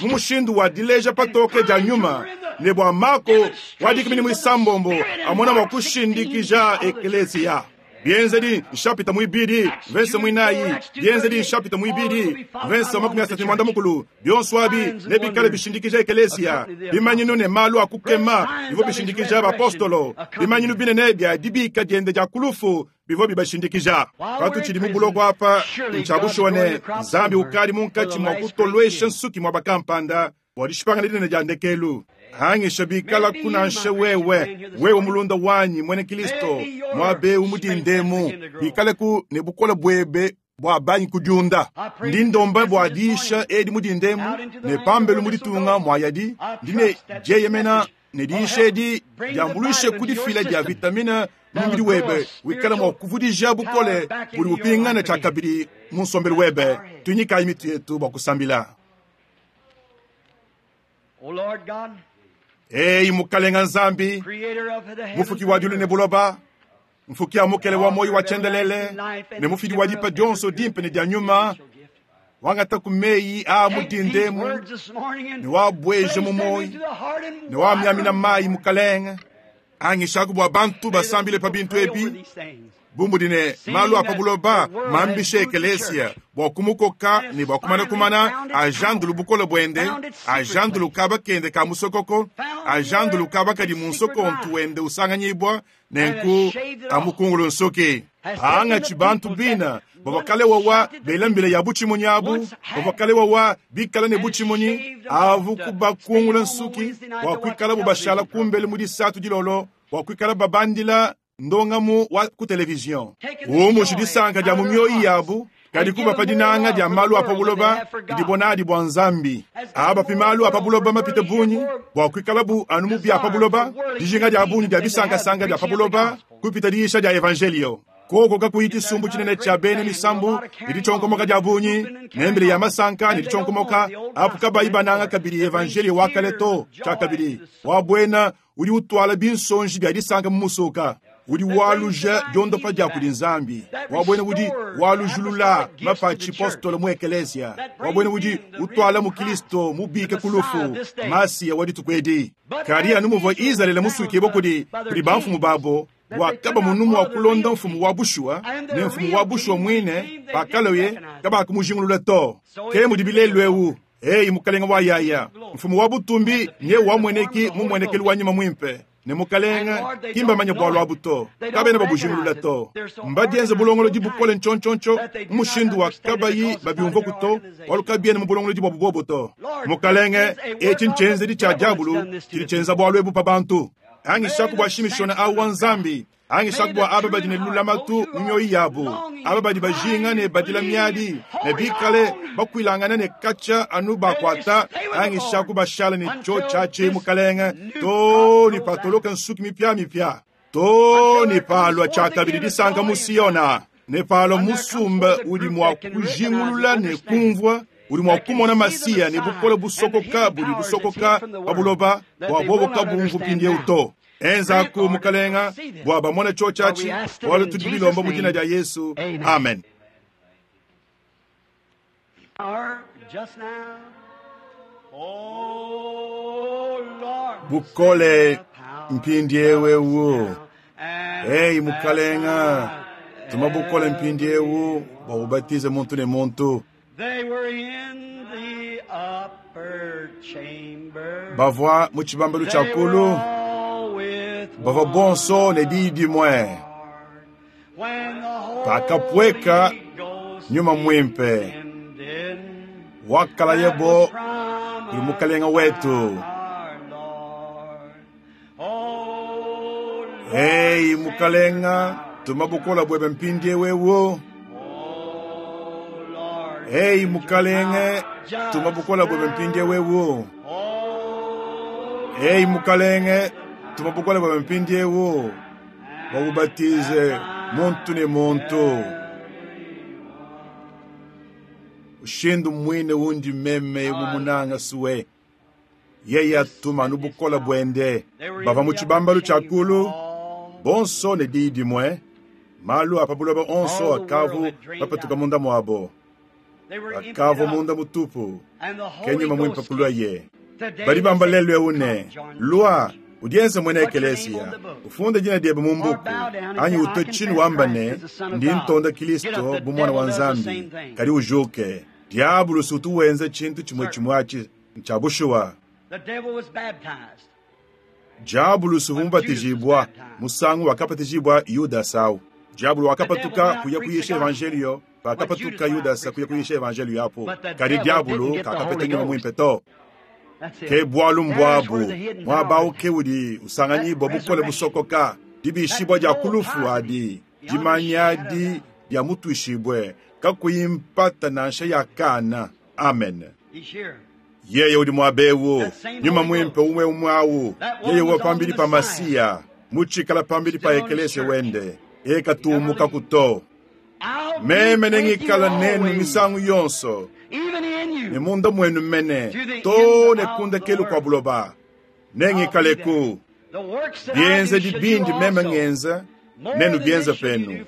Speaker 1: mumushindu wa dileja patoke ja nyuma ne bwa mako wadikimini mwisambombo amona mwa kushindikija eklesi ya. Bienzedi nshapita muibidi mvese muinayi, Bienzedi nshapita muibidi mvese wa makumi asatu ne muanda mukulu, bionso abi nebikale bishindikija ekelesia, bimanyinu ne malu a kukema bivua bishindikija bapostolo, bimanyinu binene bia dibika diende dia kulufu bivua bibashindikija. Patutshidi mu buloko apa, ntshia ne Nzambi ukadi munkatshi mua kutolwesha nsuki muaba kampanda bua dishipangana dinene dia ndekelu. Hangisha bikala kunansha wewe, wewe mulunda wanyi mwene Kristo, mwabe umudindemu, bikale ku ne bukola bwebe bwa banyi kudiunda. Ndi ndomba bwa diisha edi mudindemu ne pambelu muditunga mwayadi, ndi ne dieyemena ne diisha edi diambuluishe kudifila dia vitamine mu mubidi webe, wikala mwa kuvudija bukole budi bupingana tshia kabidi mu nsombelu webe. Tunyikayi mitu yetu bua kusambila. Ei mukalenga Nzambi, mufuki wa diulu ne buloba, mfuki ya mukele wa moyo wa chendelele ne mufidi wa dipa dionso dimpe ne dia nyuma, wangata ku meyi a mudindemu ne wabweje mu moyo ne wamyamina mayi mukalenga. Angishaku bua bantu basambile pa bintu ebi bumudi ne malu apa buloba mambishe ekelesia bua kumukoka ne bua kumana kumana ajandulu bukole bwende, ajandulu kaba kende ka musokoko, ajandulu kaba kadi mu nsokontu wende usanganyibwa nenku amukungulu nsuki. Angatshi bantu bina bavakale wawa belambile ya butshimunyi abu, bavakale wawa bikala ne butshimunyi avu kubakungula nsuki bua kuikala bubashala kumbele mu disatu dilolo, bua kuikala babandila ndongamu wa ku television. Umushi disanka dia mu mioyi yabu, kadi kubapa dinanga dia malu apa buloba didibonadi bua Nzambi. Abapi malu apa buloba mapite bunyi bua kuikalabu anu mu bia pa buloba, dijinga dia bunyi dia bisankasanga dia pa buloba kupita diisha dia evangelio. Koko kakuyi tshisumbu tshinene tshia bena misambu ne ditshonkomoka dia bunyi nembele ya masanka ne ditshonkomoka apu kabayi bananga kabidi evangelio wa kale to tshia kabidi wa buena udi utwala binsonji bia disanka mu musuka, udi waluja diondopa dia kudi Nzambi, wa buena udi walujulula mapatshi postolo mu ekelesia, wa buena udi utwala mu Kristo mubike kulufu Masiya wa dituku edi. Kadi anu muvua Izalele musuke kudi kudi bamfumu babo wakaba munumu wa kulonda mfumu wa bushuwa ne mfumu wa bushuwa mwine pakaloye kabakumujingulula to. Ke mudi bilelu ewu eyi mukalenga wa yaya mfumu wa butumbi nye wamweneki mumwenekelu wa nyuma mwimpe ne mukalenga kimbamanya bwalu abu to kabena babujingulula to. Mbadienze bulongolodi bukole ntshontshontso mushindu wa kabayi babiumva kuto walu kabiene mu bulongolodi bwa bubobo to. Mukalenge etshi ntshenzedi tshia diabulu tshidi tshienza bwalu ebu pa bantu. Angishaku bua shimishona au wa Nzambi, angishaku bua aba badi ne lulamatu mu mioyo yabu, aba badi bajinga ne badila miadi ne bikale bakuilangana ne katsha anu bakwata, angishaku bashala ne tshio tshiatshi mukalenge to ne patoloka nsuki mipia mipia to ne palwa tshia kabidi disanka mu Siona ne palwa musumba udi mua kujingulula ne kumvua udi mua kumona Masiya ne bukole busokoka budi busokoka pa buloba bua bobo kabumvu mpindieu to. Enzaku mukalenga bua bamone tshio tshiatshi bualu tudi bilomba mu dina dia Yesu. Amen. Bukole mpindiewu ewu. Ei mukalenga, tuma bukole mpindiewu bua ubatize muntu ne muntu. Bavua mu tshibambalu tshia kulu, bavua bonso ne diyi dimue. Pakapweka nyuma mwimpe wakalayebo kuli mukalenga wetu. Ei mukalenga, tuma bukola bwebe mpindiewu ewu. Ei mukalenge, tuma bukola bwebe mpindiewu ewu. Ei mukalenge, tuma bukola bwebe mpindiewu bwakubatize muntu ne muntu. Ushindu mwine wundi meme mumunanga suwe yeye atuma nubukola bwende. Bava mu tshibambalu tshia kulu bonso ne diyi dimue, malu apa buloba onso akavu bapatuka munda mwabo, akavu munda mutupu kenyuma mwimpe kulwa ye. Badi bamba lelu ewu ne lwa Udienze mwene ekelesia ufunde jina diebe mu mbuku anyi utwe chini wamba ne ndi ntonda Kristo bu mwana wa Nzambi kali ujuke diabulu utu wenze chintu chimwe chimwe cha bushuwa. Diabulu suvumbatijibwa musangu wakapatijibwa Yuda sau. Diabulu wakapatuka kuya kuyisha evangelio pakapatuka Yuda kuya kuyisha evangelio yapo kali diabulu kakapeta nyuma mwimpe to. Ke bwalu mbwabu mwabau ke udi usanganyibwa bukole busokoka dibishibwa dia kulufu adi dimanyadi dia mutwishibwe kakuyimpata nansha ya kana. Amen. Yeye udi mwabewu nyuma mwimpe umwe umwawu yeye wa pambili pa Masiya muchikala pambili pa ekelese wende ekatumuka kuto meme nengikala nenu misangu yonso ne munda mwenu mene to ne kunda kelu kwa buloba nengikaleku bienze dibindi meme ngenza nenu bienza penu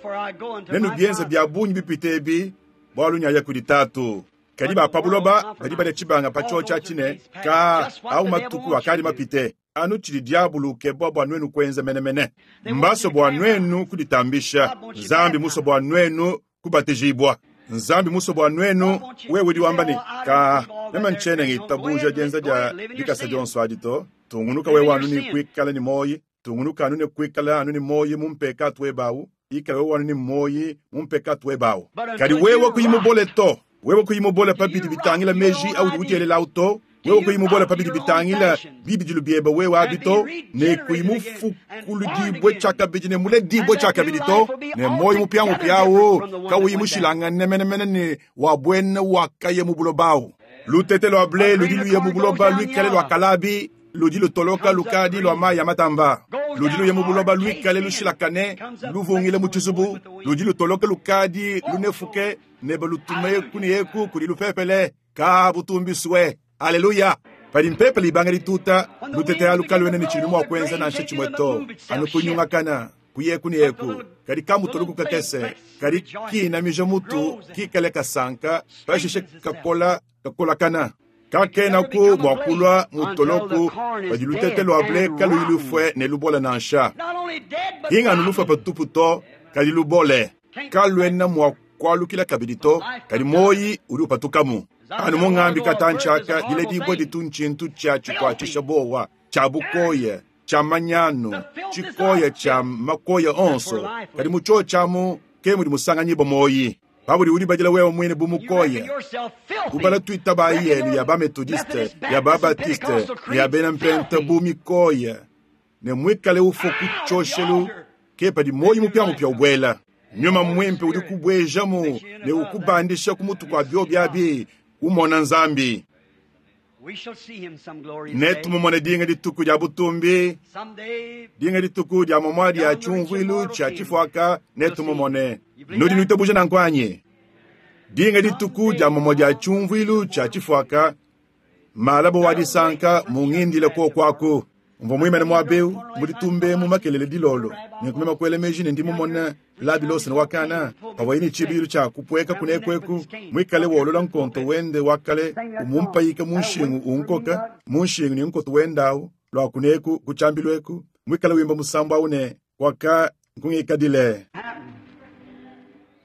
Speaker 1: nenu bienza bya bunyi bipitebi bwalu nyaya kudi tatu kadi ba pabuloba badi bale chibanga pacho cha chine ka au matuku akali mapite anu chili diabulu kebwa bwa nwenu kwenza menemene mbaso bwa nwenu kuditambisha Nzambi muso bwa nwenu kubatijibwa Nzambi muso bwa nwenu wewe diwambani ka nema nchene ngitabuja jenza ja dikasa jonso adito tungunuka wewe anu ni kwikala ni moyi tungunuka anu ni kwikala anu ni moyi mumpeka twebawu ikala wewe anu ni moyi mumpeka twebawu kadi wewe kuyimubole to wewe kuyimubole pabidi bitangila meji au ujelela auto wewe kuyimubole pabidi bitangila bibidilu bieba wewe abito ne kuyimufukuludibwe chakabidi ne muledibwe chakabidi to ne moyi mupya mupyawo kawuyimushilanga nemenemene ne wabwene wakaye mubulobawu lutete lwa ble ludi luye mubuloba lwikale lwa kalabi ludi lutoloka lukadi lwa mayi ya matamba ludi luye mubuloba lwikale lushilakane luvungile muchizubu ludi lutoloka lukadi lunefuke neba lutume kuni yeku kuli lupepele ka butumbiswe. Haleluya. Pali mpepele ibanga lituta lutete alukalwene ni chilimo akwenza na nshechimwe to anu kunyungakana kuyeku ni yeku kali kamutoluku kakese kali kinamija mutu kikale kasanka pashishe kakola kakolakana kakena ku mwakulwa mutoloku padi lutete lwa ble kaluyilufwe ne lubola nansha inganu lufwe patupu to kali lubole kalwena mwakwalukila kabidi to kali moyi uli upatukamu anu mungambi katanchaka dile dibwe ditunchintu cha chikwatisha bowa cha bukoye cha manyano chikoye cha makoye onso kali mucho chamu ke muli musanganyibo moyi pabuli uli bajila wewe mwene bumukoye ubala twita ba yenu ya ba metodiste ya ba baptiste ya bena mpenta bumikoye ne mwikale ufo kuchoshelu ke padi moyi mupya mupya ubwela nyuma mwimpe uli kubwejamu ne ukubandisha kumutu kwa byo byabi umona Nzambi netumumone dinga dituku dia butumbi dinga dituku dia momwa dia chumvwilu cha chifwaka netumumone nudi nitabuja na nkwanye dinga dituku dia momwa dia chumvwilu cha chifwaka malabo wadisanka mungindile ko kwaku mvo mwimene mwabeu mulitumbe mu makelele dilolo nikumema kwele meji ne ndimumona labilose ne wakana pawaini chibilu cha kupweka kunekweku mwikale wolola nkonto wende wakale umumpayika munshingu unkoka munshingu ni nkonto wendawu lwa kuneku kuchambilweku mwikale wimba musambo aune waka nkungikadile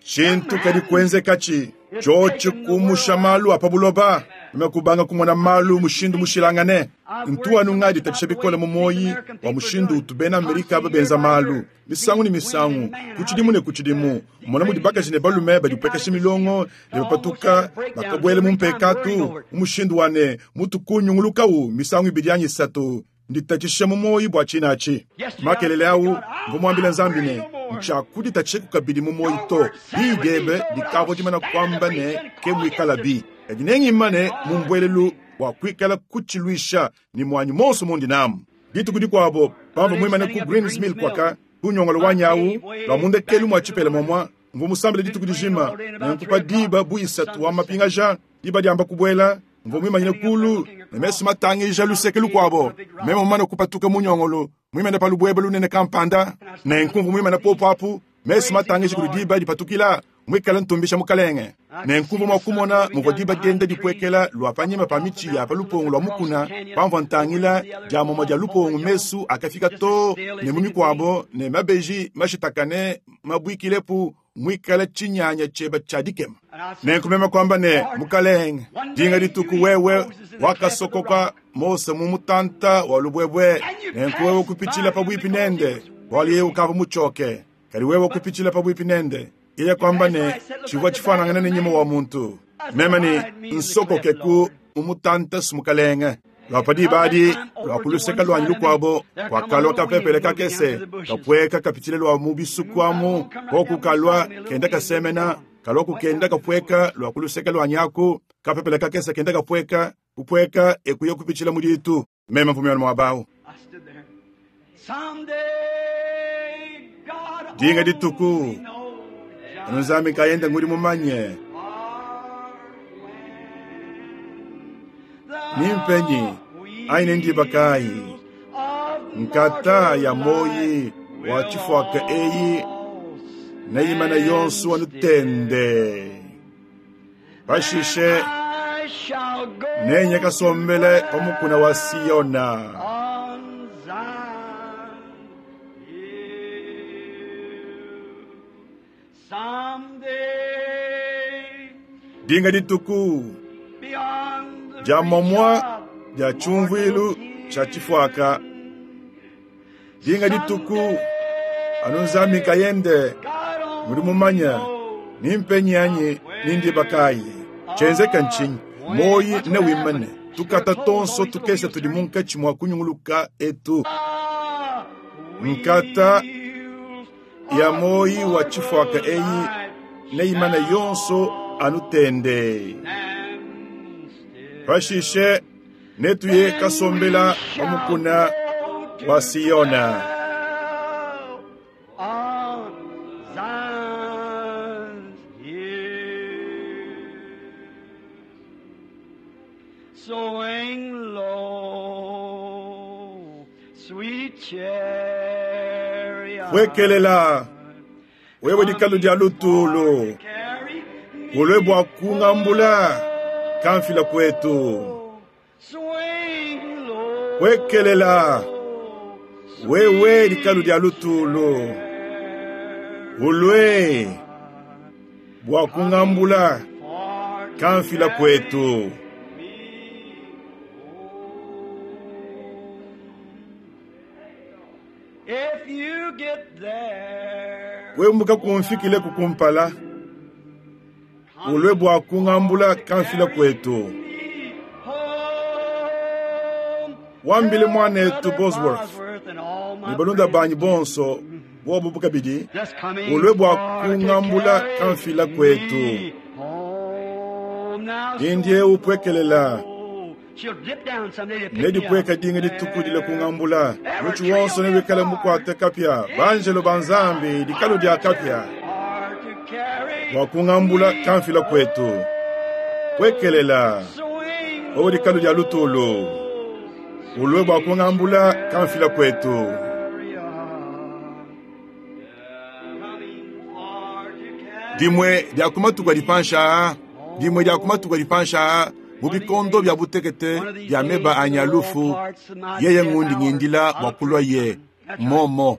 Speaker 1: chintu kadi kwenzekachi chochi kumusha malu apa buloba mekubanga kumona malu mushindu mushilangane ntu anu ngadi tatisha bikole mu moyi wa mushindu utubena Amerika babenza malu misangu ni misangu kuchidimu ne kuchidimu mona mudi bakaji ne balume badi upekesha milongo ne bapatuka bakabwele mu mpekatu mushindu wane mutu kunyungulukawu misangu ibidi yanyi isatu nditatisha mu moyi bwa chinachi makelele awu mvumwambila Nzambi ne nchakuditatisha kukabidi mu moyi to bidebe dikavo dimana kwamba ne ke mwikala bi kadi nengimane mumbwelelu wa kwikala kuchilwisha ni mwanyi monso mundi namu dituku dikwabo pamva mwimane ku Greens Mill kwaka kunyongolo wanyawu lwa mundekelu mwa chipele momwa mvu musambile dituku dijima nenkupa diba bu isatu wa mapingaja diba diamba kubwela mvu mwimanyine kulu ne mesu matangija luseke lukwabo meme mumane kupatuka munyongolo mwimene pa lubwebe lunene kampanda nenkumvu mwimene popo apu mesu matangija kuli diba dipatukila Mwikala ntumbisha mukalenge. Nenkumva mwa kumona muvua diba dienda dipwekela lwa panyima pa mitshi ya pa lupongo lwa mukuna, pamvua ntangila dia momwa dia lupongo mesu akafika to ne mu mikwabo ne mabeji mashitakane mabwikilepu mwikala chinyanya cheba cha dikema. Nenkumema kwamba ne mukalenge dinga dituku wewe wakasokoka Mose mu mutanta wa lubwebwe, nenku wewe kupichila pabwipi nende waliye ukava muchoke kali wewe kupichila pabwipi nende iye kwamba ne chivwa chifanangana ne nyima wa muntu mema ni nsokoke ku mumutanta sumukalenge lwapadi badi lwakuluseka lwanyi lukwabo kwakalwa kapepele kakese kapweka kapichile lwa mubisuku amu kokukalwa kenda kasemena kalwa kukenda kapweka lwakuluseka lwanyaku kapepele kakese kenda kapweka kupweka ekuye kupichila muditu mema mpumyano mwabawu dinga dituku anuzambi kayenda nguli mumanye nimpenyi aine ndiba kayi nkata ya moyi wa chifwaka eyi neyimana yonsu wanutende pashishe nenye kasombele pamukuna wa Siyona. Dinga dituku dia momwa dia chumvuilu cha chifwaka. Dinga dituku anuzambi kayende muli mumanya nimpenyi anyi nindiba kayi chenzeka nchinyi moyi ne wimane tukata tonso tukesa tudi munkatshi mwa kunyunguluka etu nkata ya moyi wa chifwaka eyi neimana yonso anutende pashishe netuye kasombela pamukuna wa Siyona.
Speaker 2: Swing low, sweet chariot.
Speaker 1: Wekelela wewe dikalu dia lutulu ulwe bwa kungambula kamfila kwetu.
Speaker 2: Swing low,
Speaker 1: Wekelela wewe dikalu dia lutulu ulwe bwa kungambula kamfila kwetu.
Speaker 2: If you get there,
Speaker 1: Wewe muka kumfikile kukumpala ulwe bwa kungambula kamfila kwetu.
Speaker 2: home,
Speaker 1: Wambile mwanetu Bosworth
Speaker 2: and all my
Speaker 1: ni balunda banyi bonso bobo bukabidi
Speaker 2: just coming
Speaker 1: ulwe bwa
Speaker 2: for to
Speaker 1: kungambula
Speaker 2: carry
Speaker 1: kamfila kwetu.
Speaker 2: me home. Now
Speaker 1: Dindie upwekelela
Speaker 2: she'll dip down someday to pick me up.
Speaker 1: nedipweka dinga ditukudile kungambula muchi wonso newikale mukwate kapya banjelo banzambi dikalu dia kapya
Speaker 2: Or to carry
Speaker 1: bwa kungambula kamfila kwetu. Kwekelela
Speaker 2: swing
Speaker 1: wewe dikalu dia lutulu ulwe bwa kungambula kamfila kwetu. Dimwe dia kumatuka dipansha dimwe dia kumatuka dipansha mu bikondo bya butekete bya meba anyalufu yeye ngundi ngindila bwa kulwa ye momo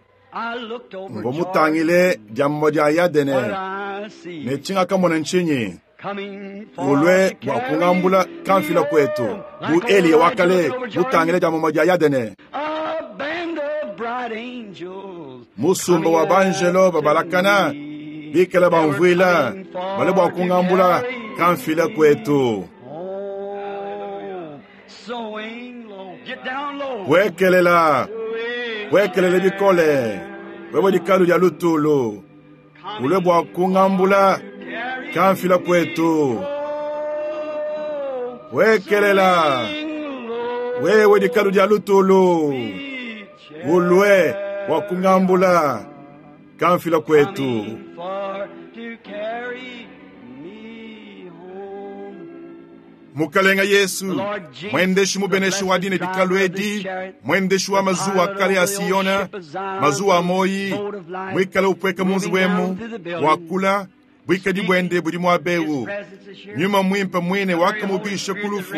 Speaker 1: ngo mutangile diammo dia yadene ne chinga kamona nchinyi ulwe bwa kungambula kamfila kwetu bu Eliya wakale mutangile diammo dia yadene musumba wa banjelo babalakana bikala bamvwila bale bwa kungambula kamfila kwetu. Wekelela wekelele bikole wewe dikalu dia lutulu ulwe bwa kungambula kamfila kwetu. Wekelela wewe dikalu dia lutulu ulwe bwa kungambula kamfila kwetu. Mukalenga Yesu mwendeshi mubeneshi wa dine dikalu edi mwendeshi wa mazuwa kale ya Siyona mazuwa amoyi mwikale upweka munzi wemu wakula Bwikadi bwende budi muabewu. Nyuma mwimpe mwine wakamubisha kulufu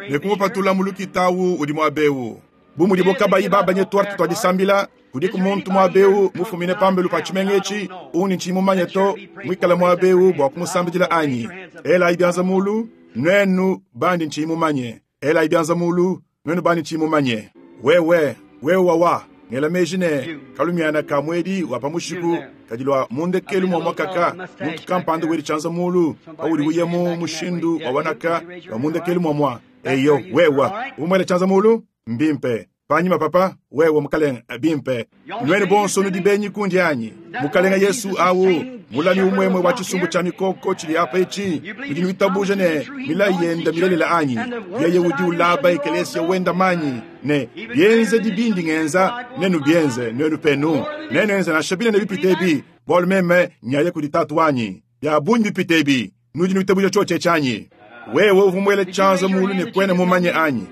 Speaker 1: ne kumupatula mu lukitawu udi muabewu. Bu mudibo kabayi babanye twarte twadisambila kudiku muntu muabewu mufumine pambelu pa tshimenga etshi uni ntshimumanye to mwikala muabewu bua kumusambidila anyi. Elayi byanza mulu nwenu bandi ntshimumanye. Elayi byanza mulu nwenu bandi ntshimumanye. Wewe wewe wawa ngela meji ne kalumiana ka mwedi wa pamushiku kadilwa mundekelu mwa mwakaka muntu kampanda wedi chanza mulu paudi uya mu mushindu wa wanaka wa mundekelu mwa mwa eyo wewa umwele chanza mulu mbimpe panyima papa wewe mukalenga bimpe nwenu bonso nudi benyi kundi anyi mukalenga Yesu awu mulami umwemwe wa chisumbu cha mikoko chili apa ichi nudi nwitabuje ne milayi yenda milelela anyi yeye udi ulaba ekelesia wenda manyi ne byenze dibindi ngenza nenu byenze nwenu penu nenu enza na shabile ne bipite bwalu meme nyaye kudi tatu wanyi bya bunyi bipite bi nudi nwitabuje choche chanyi wewe uvumwele chanza mulu ne kwene mumanye anyi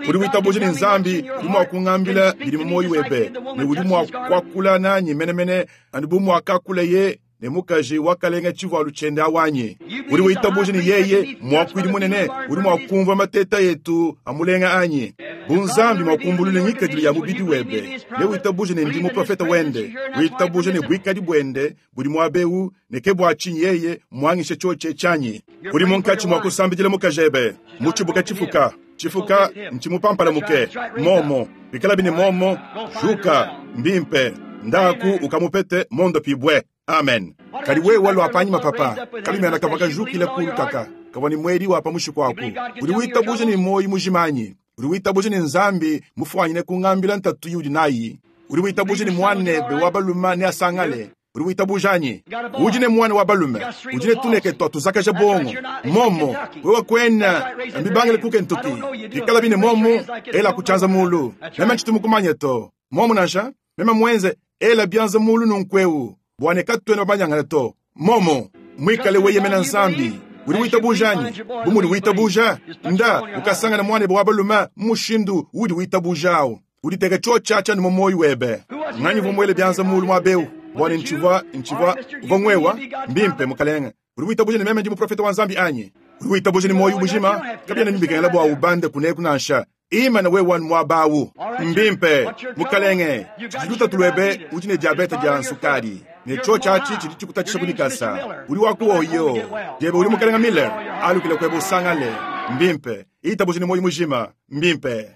Speaker 1: uri witabuje ni nzambi uri mwakungambila biri mu moyo webe ne uri mwakwakula nanyi menemene andi mwakakula ye ne mukaji wakalenga chivalu chende awanye uri witabuje ni yeye mwakwidi munene uri mwakumva mateta yetu amulenga anyi bunzambi mwakumbulule nyikadilo ya mubidi webe ne witabuje ne ndi muprofeta wende witabuje ne bwikadi bwende buri mwabewu ne ke bwachinyi yeye mwangishe choche chanyi uri munkachi mwakusambidila mukajebe muchibuka chifuka chifuka nchimupampala muke momo bikala bine momo shuka mbimpe ndaku ukamupete mondo pibwe amen kali wewe walwa panyima papa kalimena kavakajukile kulu kaka kavani mwedi wapa mushiku aku uri witabuje ni moyi mujimanyi uri witabuje ni nzambi mufwanyine kungambila ntatu yudi nayi uri witabuje ni mwanebe wa baluma ne asangale uri witabujanyi udi ne mwana wa balume udi ne tuneke twa tuzakaja bongo momo wewe kwena mbibangile kuke ntuki ikala bine momo ela kuchanza mulu meme ntshitumukumanye to momo nansha meme mwenze ela byanza mulu nunkweu bwane katwena babanyangana to momo mwikale weyemena nzambi uri witabujanyi bumuli witabuja nda ukasangana mwana wa balume mushindu udi witabujawo uditeka chochacha ni momoyi webe nganyi vumwele byanza mulu mwabeu bwane nchivwa nchivwa uvongwewa mbimpe mukalenga uri witabuje ni meme ndi muprofeta wa nzambi anyi uri witabuje ni moyo ubujima kabya nibikengela bwa ubande kuneku nansha ima na wewe mwabawu mbimpe mukalenge chiluta tulwebe udi ne diabete dia nsukari ne chochachi chili chikutatisha kulikasa uri wakuoyo jebe uri mukalenga Miller alukile kwebe usangale mbimpe itabuje ni moyo mujima mbimpe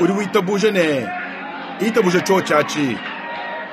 Speaker 1: uri witabuje ne itabuje chochachi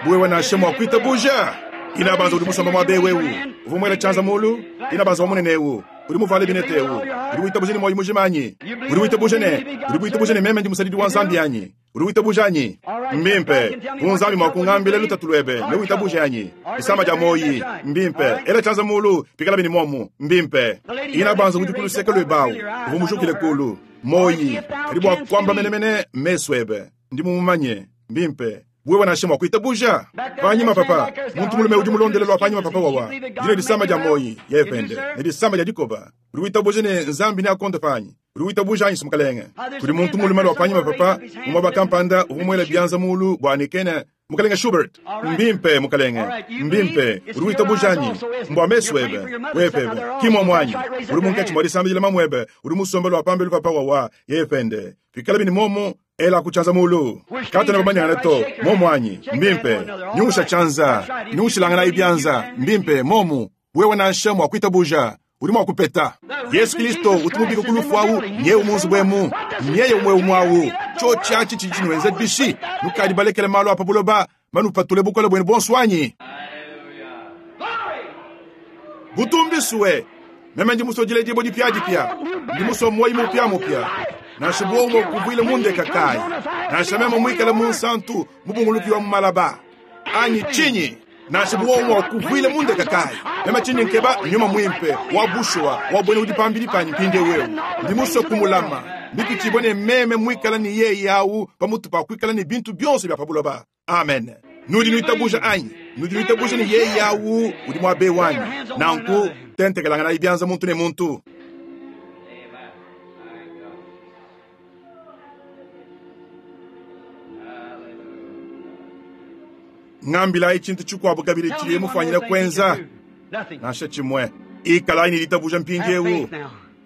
Speaker 1: buwewe nashe mwakwitabuja inabanza uri musamba mwabe wewu uvumwele chanza mulu inabanza wamunenewu uri muvale binetewu uri witabuje ni moyo mujimanyi uri witabuje ne uri witabuje ne meme ndi musadidi wa nzambi yanyi uri witabuje anyi mbimpe unzambi mwakungambile lutatulwebe ne witabuje anyi isamba ja moyi mbimpe ela chanza mulu pikala bini momu mbimpe inabanza uri kuluseka lwebawu uvumujukile kulu moyi karibu akwamba menemene meswebe ndi mumumanye mbimpe bwewe nashe mwakwitabuja panyima papa muntu mulume udi mulondelelwa panyima papa wawa dine disamba dia moyi yepende ne disamba dia dikoba uri witabuje ne nzambi ne akonde panyi uri witabuja anyi sumukalenge kuli muntu mulume lwa panyima papa mumaba kampanda uvumwela byanza mulu bwanikene mukalenge Schubert mbimpe mukalenge mbimpe uri witabuja anyi mbwa meswebe wepebe kimwa mwanyi uri munkachi mwadisambijila mamwebe uri musombelo wa pambelu papa wawa yepende pikala bini momo ela kuchanza mulu kata na babanyana to momo anyi mbimpe nyusha chanza nyushilangana ibyanza mbimpe momu wewe nansha mwakwitabuja uri mwakupeta Yesu Kristo utumubika kulufu awu nyewe munzu bwemu nyeye umwe umwawu chochachi chichinwenze bishi nukali balekele malo apa buloba manupatule bukola bwenu bonswanyi butumbisuwe meme ndi musojile dibo dipyadipya ndi musomoyi mupya mupya nansha bwomo kuvwile mundeka kayi nansha meme mwikale munsantu mubungulukiwa mumalaba anyi chinyi nansha bwomo kuvwile mundeka kayi meme chinyi nkeba nyuma mwimpe wa bushuwa wa bwene udi pambili panyi mpinde wewu ndi muso kumulama ndipitibone meme mwikala ni yeye awu pamutu pa kwikala ni bintu byonso bya pabuloba amen nudi nwitabuja anyi nudi nwitabuja ni yeye awu udi mwabe wanyi nanku tentekelangana ibyanza muntu ne muntu ngambila echintu chikwabu kabili chili mufanyira kwenza Nansha chimwe. Ikalayi ne ditabuja mpindiewu.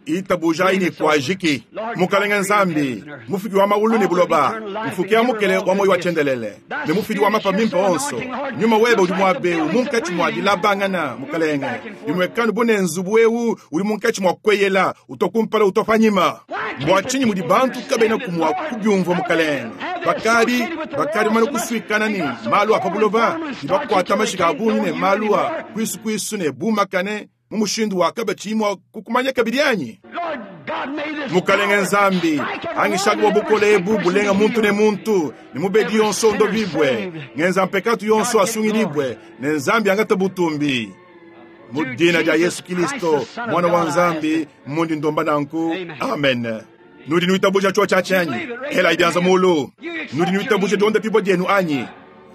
Speaker 1: Itabujayi ne kuajiki. Mukalenge Nzambi, mufuki wa maulu ne buloba, mfuki ya mukele wa moyo wa chendelele, ne mufidi wa mapa mimpe onso. Nyuma webe udi muabewu munkatshi mua dilabangana mukalenge. Imwekanu bune nzubu ewu udi munkatshi mua kweyela, utokumpala utopanyima. Bua tshinyi mudi bantu kabena kumua kubyumvua mukalenge. Bakadi bakadi mane kuswikana ne malu a pa buloba, ne bakuata mashika a bungi ne malu a kuisu ne bumakane mu mushindu wa kabachi mwa kukumanya kabidi anyi. Mukalenge Nzambi, angishaka bwa bukole ebu bulenga muntu ne muntu, ne mubedi yonso ndo bibwe, ngenza mpekatu yonso asungilibwe, ne Nzambi angata butumbi. Mu dina dia Yesu Kristo, mwana wa Nzambi, mundi ndomba nanku. Amen. Nudi nuitabuja cho cha chanyi. Hela ibianza mulu. Nudi nuitabuja donda pibo dienu anyi.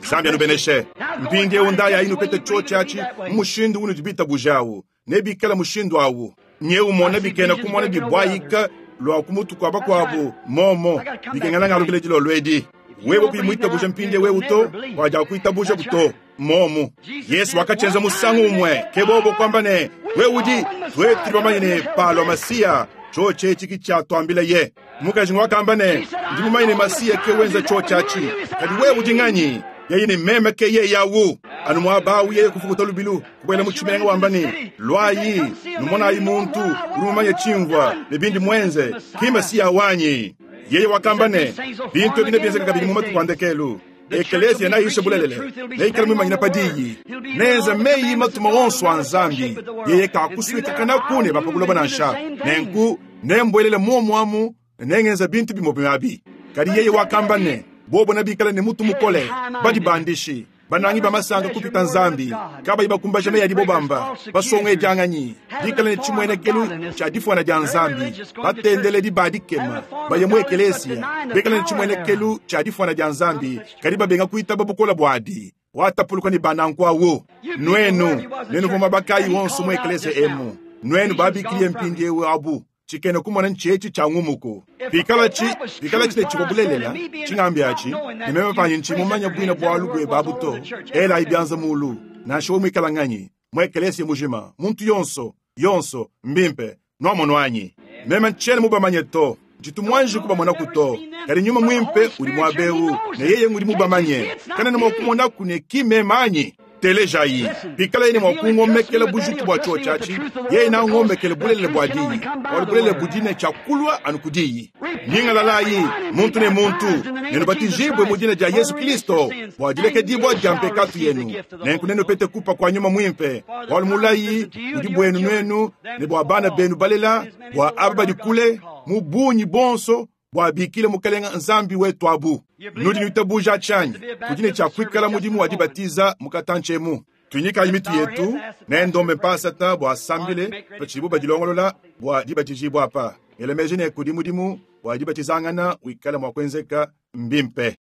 Speaker 1: Nzambi anubeneshe. Mpindiewu ndaya inu pete cho chachi, mushindu unu dibitabujawu. Nebikala mushindu awu. Nye umona bikena kumona bibwayika lwa kumutu kwa bakwabu momo bikengela ngalukile dilolwedi. Wewe kuimwitabuja mpinde wewe uto waja kuitabuja buto momo. Yesu wakachenza musangu umwe kebobo kwamba ne wewe udi twetu bamanye ne palo masia choche chiki cha twambile ye. Mukaji wakamba ne ndi mumanye ne masia ke wenza chochachi kadi wewe udi nganyi? Yeye ni meme ke ye yawu. Anu mwabawu yeye kufukuta lubilu kubwela mu chimenga wamba ni lwayi numona ayi muntu uri mumanye chimvwa ne bindi mwenze ki masia wanyi. Yeye wakamba ne bintu bine byenzeka kabili mu matuku andekelu. Ekelesia na yishe bulelele neikala mumanyina padiyi nenza meyi matuma onso a Nzambi. Yeye kakuswika kana kune bapabuloba nansha nenku nembwelele momwamu nengenza bintu bimo abi. Kadi yeye wakamba ne bobo nabikala ne mutu mukole badi bandishi banangi bamasanga kupita Nzambi kabayi bakumbaja meyi adibo bamba basonga edyanganyi dikala ne chimwenekelu cha difwana dya Nzambi batendele dibadikema baye mu ekelesia bekala ne chimwenekelu cha difwana dya Nzambi kadi babenga kuitaba bukola bwadi watapuluka ni banankwawo. Nwenu nenu voma bakayi wonso mu ekelesia emu nwenu babikiliye mpindiewu abu chikene kumona nchechi cha ngumuko. Pikala chi pikala chine chikobulelela chingambi achi nimeme panyi nchi mumanya bwina bwalu bwe babuto ela ibyanza mulu nansha mwikala nganyi mwekelesi mujima muntu yonso yonso mbimpe nwamonwanyi meme nchene mubamanye to jitumwanje kubamona kuto kali nyuma mwimpe uli mwabeu ne yeye nguli mubamanye kana nimo kune kimemanyi telejayi pikala yene mwakungomekela bujutu bwa chochachi yeye na ngomekele bulele bwa diyi wali bulele budine chakulwa anukudiyi nyingalalayi muntu ne muntu nenu batijibwe mudina dia Yesu Kristo bwa dileke dibwa dia mpekatu yenu nenku nenu pete kupa kwa nyuma mwimpe wali mulayi udi bwenu nwenu ne bwa bana benu balela bwa aba badikule mubunyi bonso bwa bikile mukalenga Nzambi wetu abu. Nudi nitabuja chanyi kudine cha kwikala mudimu wa dibatiza mukatanchemu tunyika imitu yetu nendombe mpasata bwa sambile pachibu badilongolola bwa dibatijibwa apa elemeje ne kudi mudimu bwa dibatizangana wikala mwa kwenzeka mbimpe.